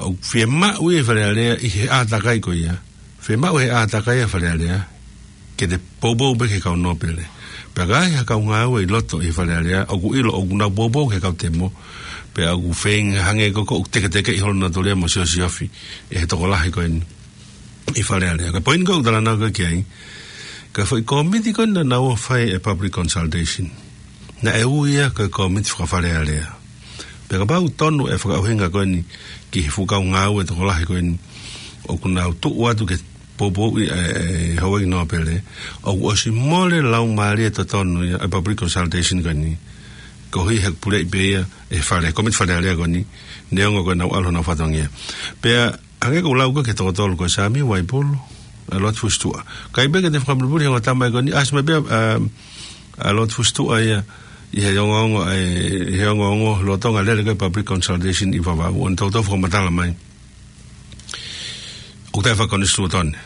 ʻoku fiemaʻu ia ʻe Fale Alea ʻi he ʻātakai ko ia. Fiemaʻu ʻe he ʻātakai ʻa Fale Alea ke te poupou pē ki he kau nōpele. Pea ka ʻi ai ha kau ngāue ʻi loto ʻi Fale Alea, ʻoku ʻilo ʻoku nau poupou ki he kau temo, pea ʻoku feinga hangē ko ē ʻoku teketekeʻi holo ʻe nautolu ia mo siosiofi ʻe he tokolahi ko eni ʻi Fale Alea. Ko e poini ʻoku ou talanoa ko ē ki ai, ko e foʻi komiti ko ē naʻa nau ō ʻo fai e public consultation, naʻe ui ia ko e komiti faka-Fale Alea. Pea kapau ʻoku tonu e fakaʻuhinga ko eni ki he fuʻu kau ngāue tokolahi ko eni ʻoku nau tuʻu atu ke poupouʻi e, e houʻeiki nōpele, ʻoku ʻosi mole e laumālie totonu ia e public consultation ko eni, koeʻuhi he ʻoku puleʻi pē ia ʻe he Fale, komiti Fale Alea ko eni, neongo ko ʻenau ʻalu honau fatongia. Pea hangē ko ʻeku lau ko ē ki he toko tolu ko Sāmio Vaipolo, ʻa Lord Fusituʻa. ʻIkai pē ke te fakapulipuli he ongo tama ko eni, ʻasi mai pē ʻa, ʻa Lord Fusituʻa ia, ʻi he ongoongo, ʻi he ongoongo lolotonga e lele ko ē public consultation ʻi Vavaʻu, ʻo ne toutou fakamatala mai ʻoku taʻe fakakonisitūtone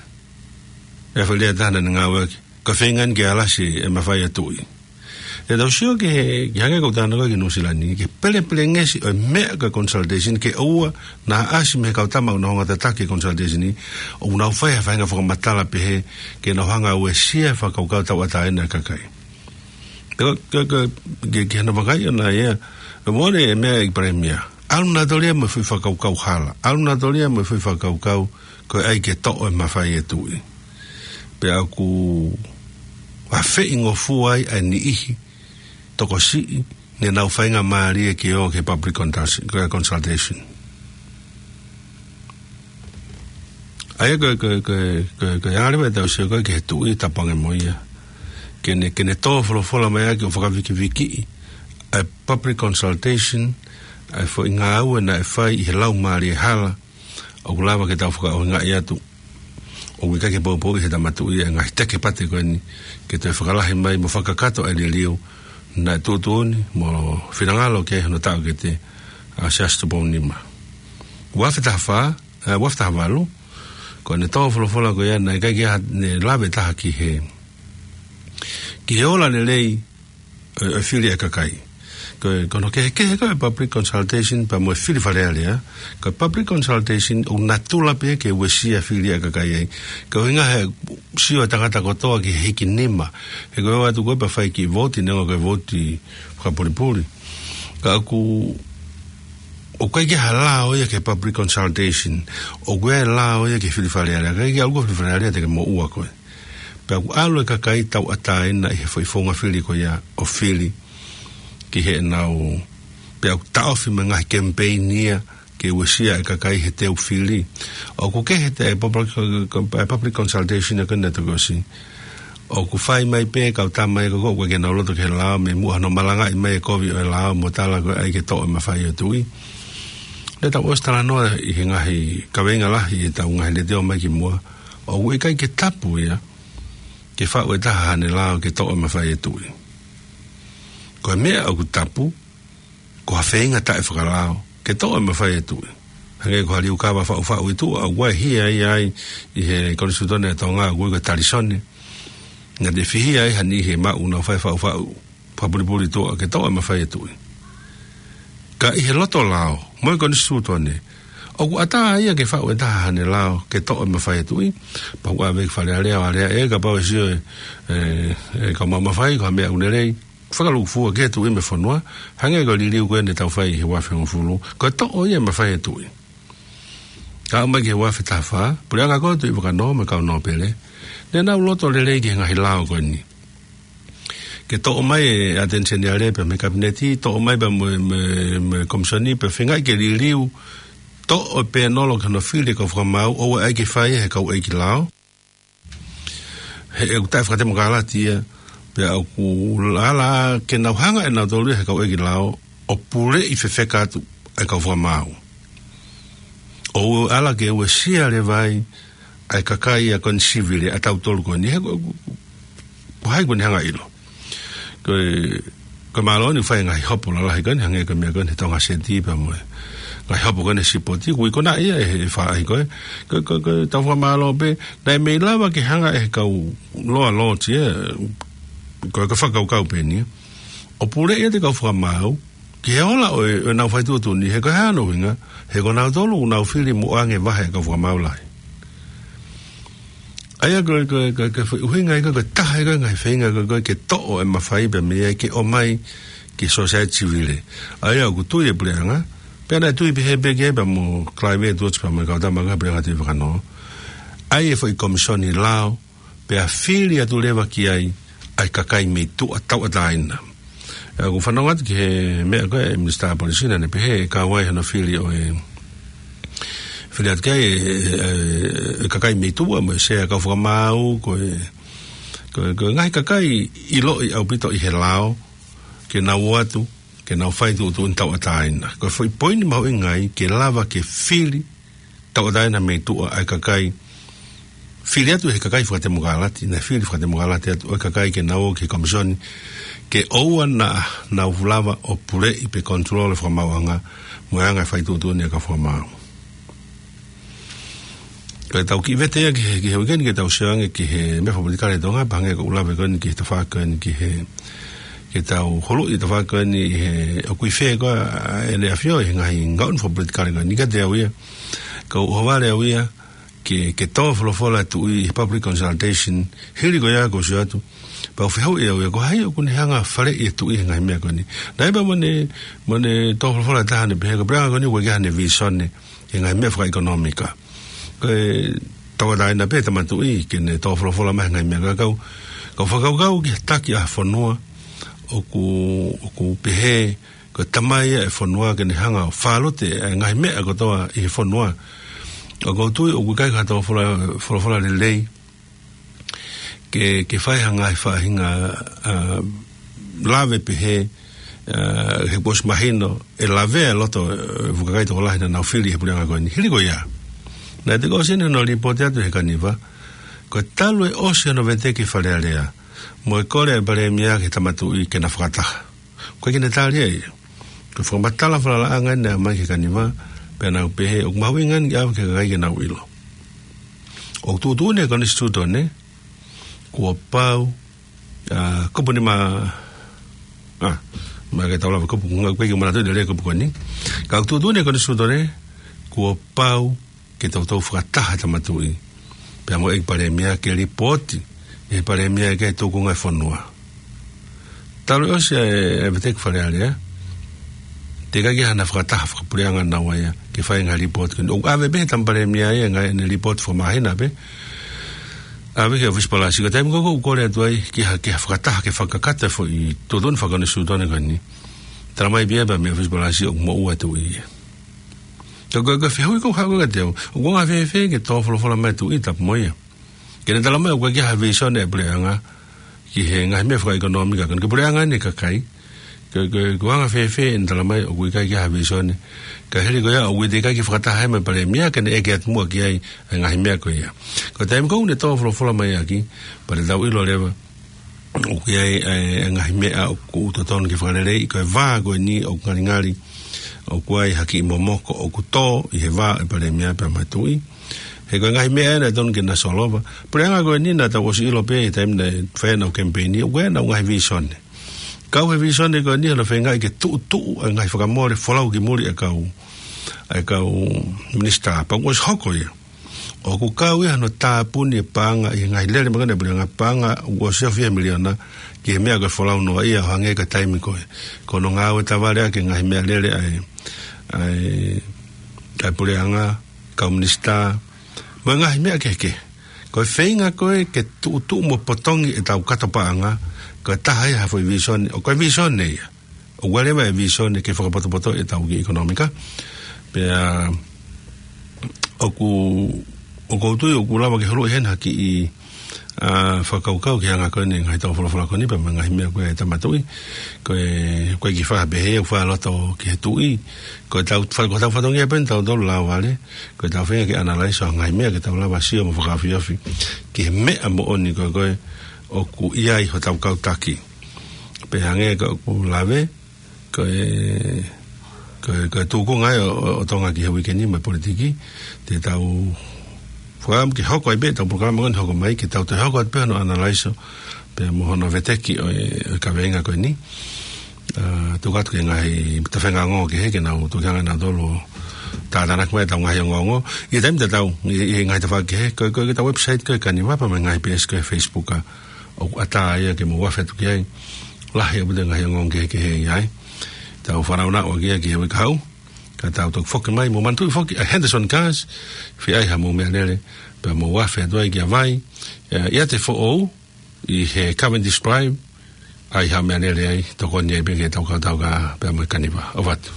e foʻi lea ʻe taha naʻa ne ngāueʻaki, ko e feinga eni ke alasi e mafai ʻa e tuʻi. Te tau sio ki he, ki he hangē ko ʻeku talanoa ko ē ki Nuʻusila ni, ki he pelepelengesi ʻo e meʻa ko e consultation, ke ʻoua naʻa ʻasi mei he kau tama ʻoku nau hanga ʻo tataki e consultation ni, ʻoku nau fai ha faʻahinga fakamatala pehē, ke nau hanga ʻo uesia e fakakaukau tauʻatāina ʻa e kakai. Ko, ko, ko, ke, ke hana vakai ʻana ia. ʻE mole e meʻa ʻEiki Palēmia. ʻAlu nautolu ia mo e foʻi fakakaukau hala. ʻAlu nautolu ia mo e foʻi fakakaukau ko e ʻai ke toʻo e mafai e tuʻi. Pea ʻoku ʻafeʻi ngofua ai ʻa e niʻihi tokosiʻi ne nau faingamālie ke ō ki he public consultation, ko e consultation. ʻA ia ko, ko, ko, ko, ko e ʻalu ʻetau sio ko ē ki he tuʻi tapu ange mo ia. Ke ne, ke ne tō folofola mai ʻaki ʻo fakavikivikiʻi ʻa e public consultation, ʻa e foʻi ngāue naʻe fai ʻi he laumālie hala, ʻoku lava ke tau fakaʻuhingaʻi atu. ʻOku ʻikai ke poupouʻi he Tama Tuʻi e ngaahi tekepate ko eni, ke toe fakalahi mai mo fakakakato e liliu naʻe tuʻutuʻuni mo finangalo ki ai hono taʻokete ʻa Siaosi Tupou Nima. Ua afe taha fā, ē, ua afe taha valu, ko ʻene tō folofola ko ia naʻe ʻikai ke ʻi ai haʻane lave ʻe taha ki he, ki he ola lelei ʻo e, ʻo e fili ʻa e kakai. Ko e, ko hono kehekehe ko e public consultation pea mo e fili Fale Alea. Ko e public consultation ʻoku natula pē ke uesia fili ʻa e kakai ai. Ko e ʻuhinga he sio e tangata kotoa ki he hiki nima. He ko e ō atu ko ē pea fai e kiʻi vouti, neongo ko e vouti fakapulipuli. Ka ʻoku, ʻoku ʻikai ke ʻi ai ha lao ia ki he public consultation. ʻOku ʻi ai e lao ia ki he fili Fale Alea. ʻIkai ke ʻalu ko e fili Fale Alea te ke moʻua koe. Pea ʻoku ʻalu e kakai tauʻatāina ʻi he foʻi founga fili ko ia ʻo fili ki heʻenau, pea ʻoku taʻofi mo e ngaahi kemipeini ia ke uesia e kakai he teu fili. ʻOku kehe ʻa e public, ʻa e public consultation ko ena tokosi. ʻOku fai mai pē kau tama ia ko ē ʻoku ʻikai ke nau loto ki he lao, mei muʻa hono malangaʻi mai e kovi ʻo e lao mo tala ko e ʻai ke toʻo e mafai ʻo e tuʻi. Naʻa tau ʻosi talanoa ʻi he ngaahi kaveinga lahi ʻi heʻetau ngaahi letiō mai kimuʻa. ʻOku ʻikai ke tapu ia ke faʻu ʻe taha haʻane lao ke toʻo e mafai ʻo e tuʻi. Ko e meʻa ʻoku tapu, ko ha feinga taʻefakalao ke toʻo e mafai ʻo e tuʻi. Hangē ko ha liukava faʻufaʻu ʻi tuʻa, ʻoku ʻi ai e hia ia ai ʻi he Konisitūtone ʻa Tonga, ʻoku ui ko e talisone. Naʻe fihia ai ha niʻihi ʻe maʻu ʻo nau fai e faʻufaʻu fakapulipuli ʻi tuʻa ke toʻo e mafai ʻo e tuʻi. Ka ʻi he loto lao mo e Konisitūtone, ʻoku ʻatā ia ke faʻu ʻe taha haʻane lao ke toʻo e mafai ʻo e tuʻi. Pea ʻoku ʻave ki Fale Alea ʻo aleaʻi, kapau ʻe sio e, e, e kau maʻu mafai ko ha meʻa ʻoku lelei, fakalūkufua ki he tuʻi mo e fonua, hangē ko e liliu ko ē naʻa tau fai he ua afe hongofulu, ko e toʻo ia e mafai ʻo e tuʻi. Ka ʻomai ki he ua afe taha fā, Puleʻanga ko ē ʻo e Tuʻi Vakanō mo e kau nōpele, naʻa nau loto lelei ki he ngaahi lao ko eni. Ke toʻo mai e ʻAteni Seniale pea mei he Kapineti, toʻo mai pea mo e, mo e, mo e Komisoni pea feingaʻi ke liliu, toʻo e pēnolo ki hono fili e kau fakamaau, ʻoua ʻe ʻai ke fai ia he kau ʻeiki lao. He ʻoku taʻefakatemokalati ia, pea ʻoku ala ke nau hanga ʻe nautolu ia he kau ʻeiki lao ʻo puleʻi fefeka atu ʻa e kau fakamaau. ʻOku ala ke uesia leva ai ʻa e kakai ia ko eni sivile ʻa tautolu ko eni, he ko, ko, ko hai ko eni hanga ʻilo. Ko e, ko e mālō eni ʻoku fai e ngaahi hopo lalahi ko eni, hangē ko e meʻa ko eni he Tonga Seti pea mo e ngaahi hopo ko eni he sipoti, ʻoku ʻi ai ko ena ia ʻe he faʻahi ko ē. Ko, ko, ko e tau fakamālō pē, naʻe mei lava ke hanga ʻe he kau loa loti ē, ko e, ko e fakakaukau pē eni ē, ʻo puleʻi ʻa e kau fakamaau ki he ola ʻo e, ʻo ʻenau fai tuʻutuʻuni, he ko e hā hono ʻuhinga, he ko nautolu ʻoku nau fili mo ʻoange vahe ʻa e kau fakamaau lahi. ʻA ia ko e, ko e, ko e, ko e foʻi ʻuhinga ia ko e, ko e taha ia ko e ngaahi feinga ko e, ko e ke toʻo e mafai pea mei ai ke ʻomai ki he sōsaieti sivile. ʻA ia ʻoku tui e Puleʻanga, pea naʻe tui pehē pē ki ai pea mo Clive Edwards pea mo e kau tama ko ē Puleʻanga Tuʻi Vakanō. ʻAi e foʻi Komisoni Lao, pea fili atu leva ki ai ʻa e kakai mei tuʻa tauʻatāina. ʻE, ʻoku fanongo atu ki he meʻa ko ē ʻa e Minisitā Polisi naʻa ne pehē ʻe kau ai hono fili ʻo e, fili atu ki ai e, e, e, e kakai mei tuʻa mo e sea kau fakamaau, ko e, ko e, ko e ngaahi kakai ʻiloʻi ʻaupito ʻi he lao, ke nau ō atu, ke nau fai tuʻutuʻuni tauʻatāina. Ko e foʻi poini mahuʻinga ia ke lava ke fili tauʻatāina mei tuʻa ʻa e kakai. Fili atu he kakai fakatemokalati, naʻe fili fakatemokalati atu ʻo e kakai ke nau ō ki he Komisoni, ke ʻoua naʻa nau lava ʻo puleʻi pe control e fakamaauʻanga, mo e anga e fai tuʻutuʻuni ʻa e kau fakamaau. Ko e tau kiʻi vete ia ki he, ki he uike ni ke tau sio ange ki he meʻa fakapolitikale ʻi Tonga, pea hangē ko ʻeku lave ko eni ki he tafaʻaki ko eni ki he, ke tau huluʻi e tafaʻaki ko eni he ʻoku ʻi fē ko ē ʻa ʻEne ʻAfio ʻi he ngaahi ngaʻunu fakapolitikale ko eni, ka te au ia, ka u ʻohovale au ia, ke, ke tō folofola e tuʻi ʻi he public consultation, hili ko ia kuo ʻosi atu. Pea u fehuʻi au ia, ko hai ʻoku ne hanga faleʻi e tuʻi he ngaahi meʻa ko eni. Naʻe pē mo ʻene, mo ʻene tō folofola ʻe taha ʻo ne pehē, ko e puleʻanga ko eni ʻoku ʻikai ke ʻi ai haʻane visone he ngaahi meʻa fakaʻekonōmika. Ko e tauʻatāina pē ʻa e tama tuʻi ke ne tō folofola mai he ngaahi meʻa, ka ʻoku ou, ʻoku ou fakakaukau ki he taki ʻa e fonua, ʻoku, ʻoku pehē, ko e tamai ia e fonua ke ne hanga ʻo fālote e ngaahi meʻa kotoa ʻi he fonua. ʻOku ou tui ʻoku ʻikai ke tō folofola, folofola lelei ke, ke fai ha ngaahi faʻahinga, ʻa, lave pehē, ʻa, he kuo ʻosi mahino, ʻe lavea e loto, ʻa e fuʻu kakai tokolahi naʻa nau fili he puleʻanga ko eni. Hili ko ia, naʻe toki ʻosi eni hono lipooti atu he Kaniva, ko e talu e ʻosi hono veteki Fale Alea mo e kole ʻa e Palēmia ki he tama tuʻi ke na fakataha. ʻOku ʻikai ke ne tali ia. Ko e fakamatala falalaʻanga eni naʻe ʻomai ki he Kaniva, pea nau pehē, ʻoku mahuʻinga eni ke ʻave ki he kakai ke nau ʻilo. ʻOku tuʻutuʻuni ʻe he Konisitūtone, kuo pau, ʻa, kupu ni ma, ʻa, ma ke tau lava kupu, ʻoku ʻikai ke u manatuʻi lelei e kupu ko eni. Ka ʻoku tuʻutuʻuni ʻe he Konisitūtone, kuo pau ke toutou fakataha e tama tuʻi pea mo e ʻEiki Palēmia ke lipooti ʻe he Palēmia ki he tūkunga e fonua. Talu e ʻosi e, e veteki Fale Alea, teʻeki ai ke ʻi ai hano fakataha fakapuleʻanga naua ia ke fai e ngaahi lipooti ko eni. ʻOku ʻave pē ʻe he tama Palēmia ia e ngaahi, ʻene lipooti fakamāhina pē, ʻave ki he ʻōfisi palasi. Ko e taimi ko ē ʻoku kole atu ai ki ha, ki ha fakataha ke fakakakato e foʻi tuʻutuʻuni fakakonisitūtone ko eni, talamai pē ia pea mei he ʻōfisi palasi ʻoku moʻua e tuʻi ia. Ko e, ko e, ko e fehuʻi ʻoku ou haʻu kiate au, ʻoku anga fēfē ke tō folofola mai e tuʻi tapu mo ia ke ne talamai ʻoku ʻikai ke ʻi ai ha visone e puleʻanga ki he ngaahi meʻa fakaʻekonōmika ko eni, ko e puleʻanga eni e kakai? Ko e, ko e, ʻoku anga fēfē ʻene talamai ʻoku ʻikai ke ʻi ai ha visone, ka hili ko ia ʻoku teʻeki ai ke fakataha ai mo e Palēmia ke ne ʻeke atu muʻa ki ai e ngaahi meʻa ko ia? Ko e taimi ko ē ʻoku ne tō folofola mai ʻaki, pea te tau ʻilo leva ʻoku ʻi ai e, e ngaahi meʻa ʻoku totonu ke fakaleleiʻi. Ko e vā ko eni ʻoku ngalingali, ʻoku ʻi ai ha kiʻi momoko ʻoku tō ʻi he vā ʻo e Palēmia pea mo e tuʻi. He ko e ngaahi meʻa ena ʻe totonu ke na solova. Puleʻanga ko eni naʻa tau ʻosi ʻilo pē he taimi naʻe fai ai ʻenau kemipeini, ʻoku ʻi ai ʻenau ngaahi visone. Kau he visone ko eni hono feingaʻi ke tuʻutuʻu e ngaahi fakamole folau ki muli e kau, e kau minisitā. Pea kuo ʻosi hoko ia. ʻOku kau ia hono tāpuni e paʻanga ʻi he ngaahi lele makehe ʻa e puleʻanga, paʻanga ʻoku ʻosi ʻafe ia miliona ki he meʻa ko e folau noaʻia, ʻo hangē ko e taimi ko ē ko hono ngāue tavaleʻaki e ngaahi meʻalele ʻa e, ʻa e, ʻa e puleʻanga, kau minisitā, mo e ngaahi meʻa kehekehe. Ko e feinga ko ē ke tuʻutuʻu mo potongi ʻetau kato paʻanga, ko e taha ia ha foʻi visone, ʻo ko e visone ia. ʻOku ʻi ai leva e visone ke fakapotopoto ʻetau kiʻi ʻekonōmika. Pea ʻoku, ʻoku ou tui ʻoku lava ke huluʻi heni ha kiʻi, ʻa, fakakaukau ki he anga ko eni e ngaahi tō folofola ko eni pea mo e ngaahi meʻa ko ē ʻa e tama tuʻi. Ko e, ko e kiʻi fakapehe ia, ʻoku fakaloto ki he tuʻi. Ko ʻetau fa-, ko ʻetau fatongia pē eni ʻa tautolu lāvale, ko ʻetau feinga ke analyze ʻa e ngaahi meʻa ke tau lava sio mo fakaofiofi ki he meʻa moʻoni ko ē ko ē ʻoku ʻi ai hotau kau taki. Pea hangē ko ʻeku lave, ko e, ko e, ko e tūkunga ia ʻo, ʻo, ʻo Tonga ki he uike ni mo e politiki, te tau fakaʻamu ke hoko ai pē ʻetau polokalama ko eni hoko mai, ke tau toe hoko atu pē hono analyze pea mo hono veteki ʻo e, ʻo e kaveinga ko eni. ʻA, tuku atu ki he ngaahi tafenga ongo kehe ke nau tuku ange nautolu ʻo tātānaki mai ʻetau ngaahi ongoongo ʻi he taimi tatau, ʻi, ʻi he ngaahi tafaʻaki kehe, ko e, ko e, ko ʻetau website ko e Kaniva pea mo e ngaahi peesi ko e Facebook, ʻa, ʻoku ʻatā ia ke mou afe atu ki ai. Lahi ʻaupito e ngaahi ongoongo kehekehe ʻi ai. Tau fanongo atu ki ai ki he uike kahaʻu, ka tau toki foki mai. Mou manatuʻi foki ʻa Henderson Cars, fai ai haʻamou meʻalele, pea mou afe atu ai ki ʻAvai, ʻe, ʻiate Foʻou, ʻi he Cavendish Drive, ʻai haʻo meʻalele ai, tokoni ai pē ki heʻetau kautaha pea mo e Kaniva. ʻOfa atu.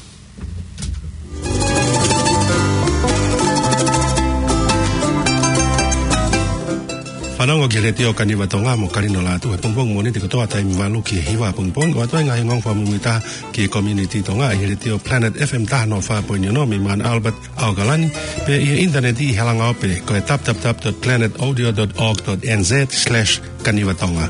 Fanongo ki he Letiō Kaniva Tonga mo Kalino Lātū he pongipongi Mōnite kotoa taimi valu ki he hiva pongipongi. ʻOatu ai e ngaahi ongoongo fakamuimuitaha ki he community Tonga ʻi he Letiō Planet F M taha noa fā poini ono mei Mount Albert, ʻAokalani, pea ʻi he ʻinitaneti ʻi he langa ope ko e w w w dot planet audio dot org dot n z slash Kaniva Tonga.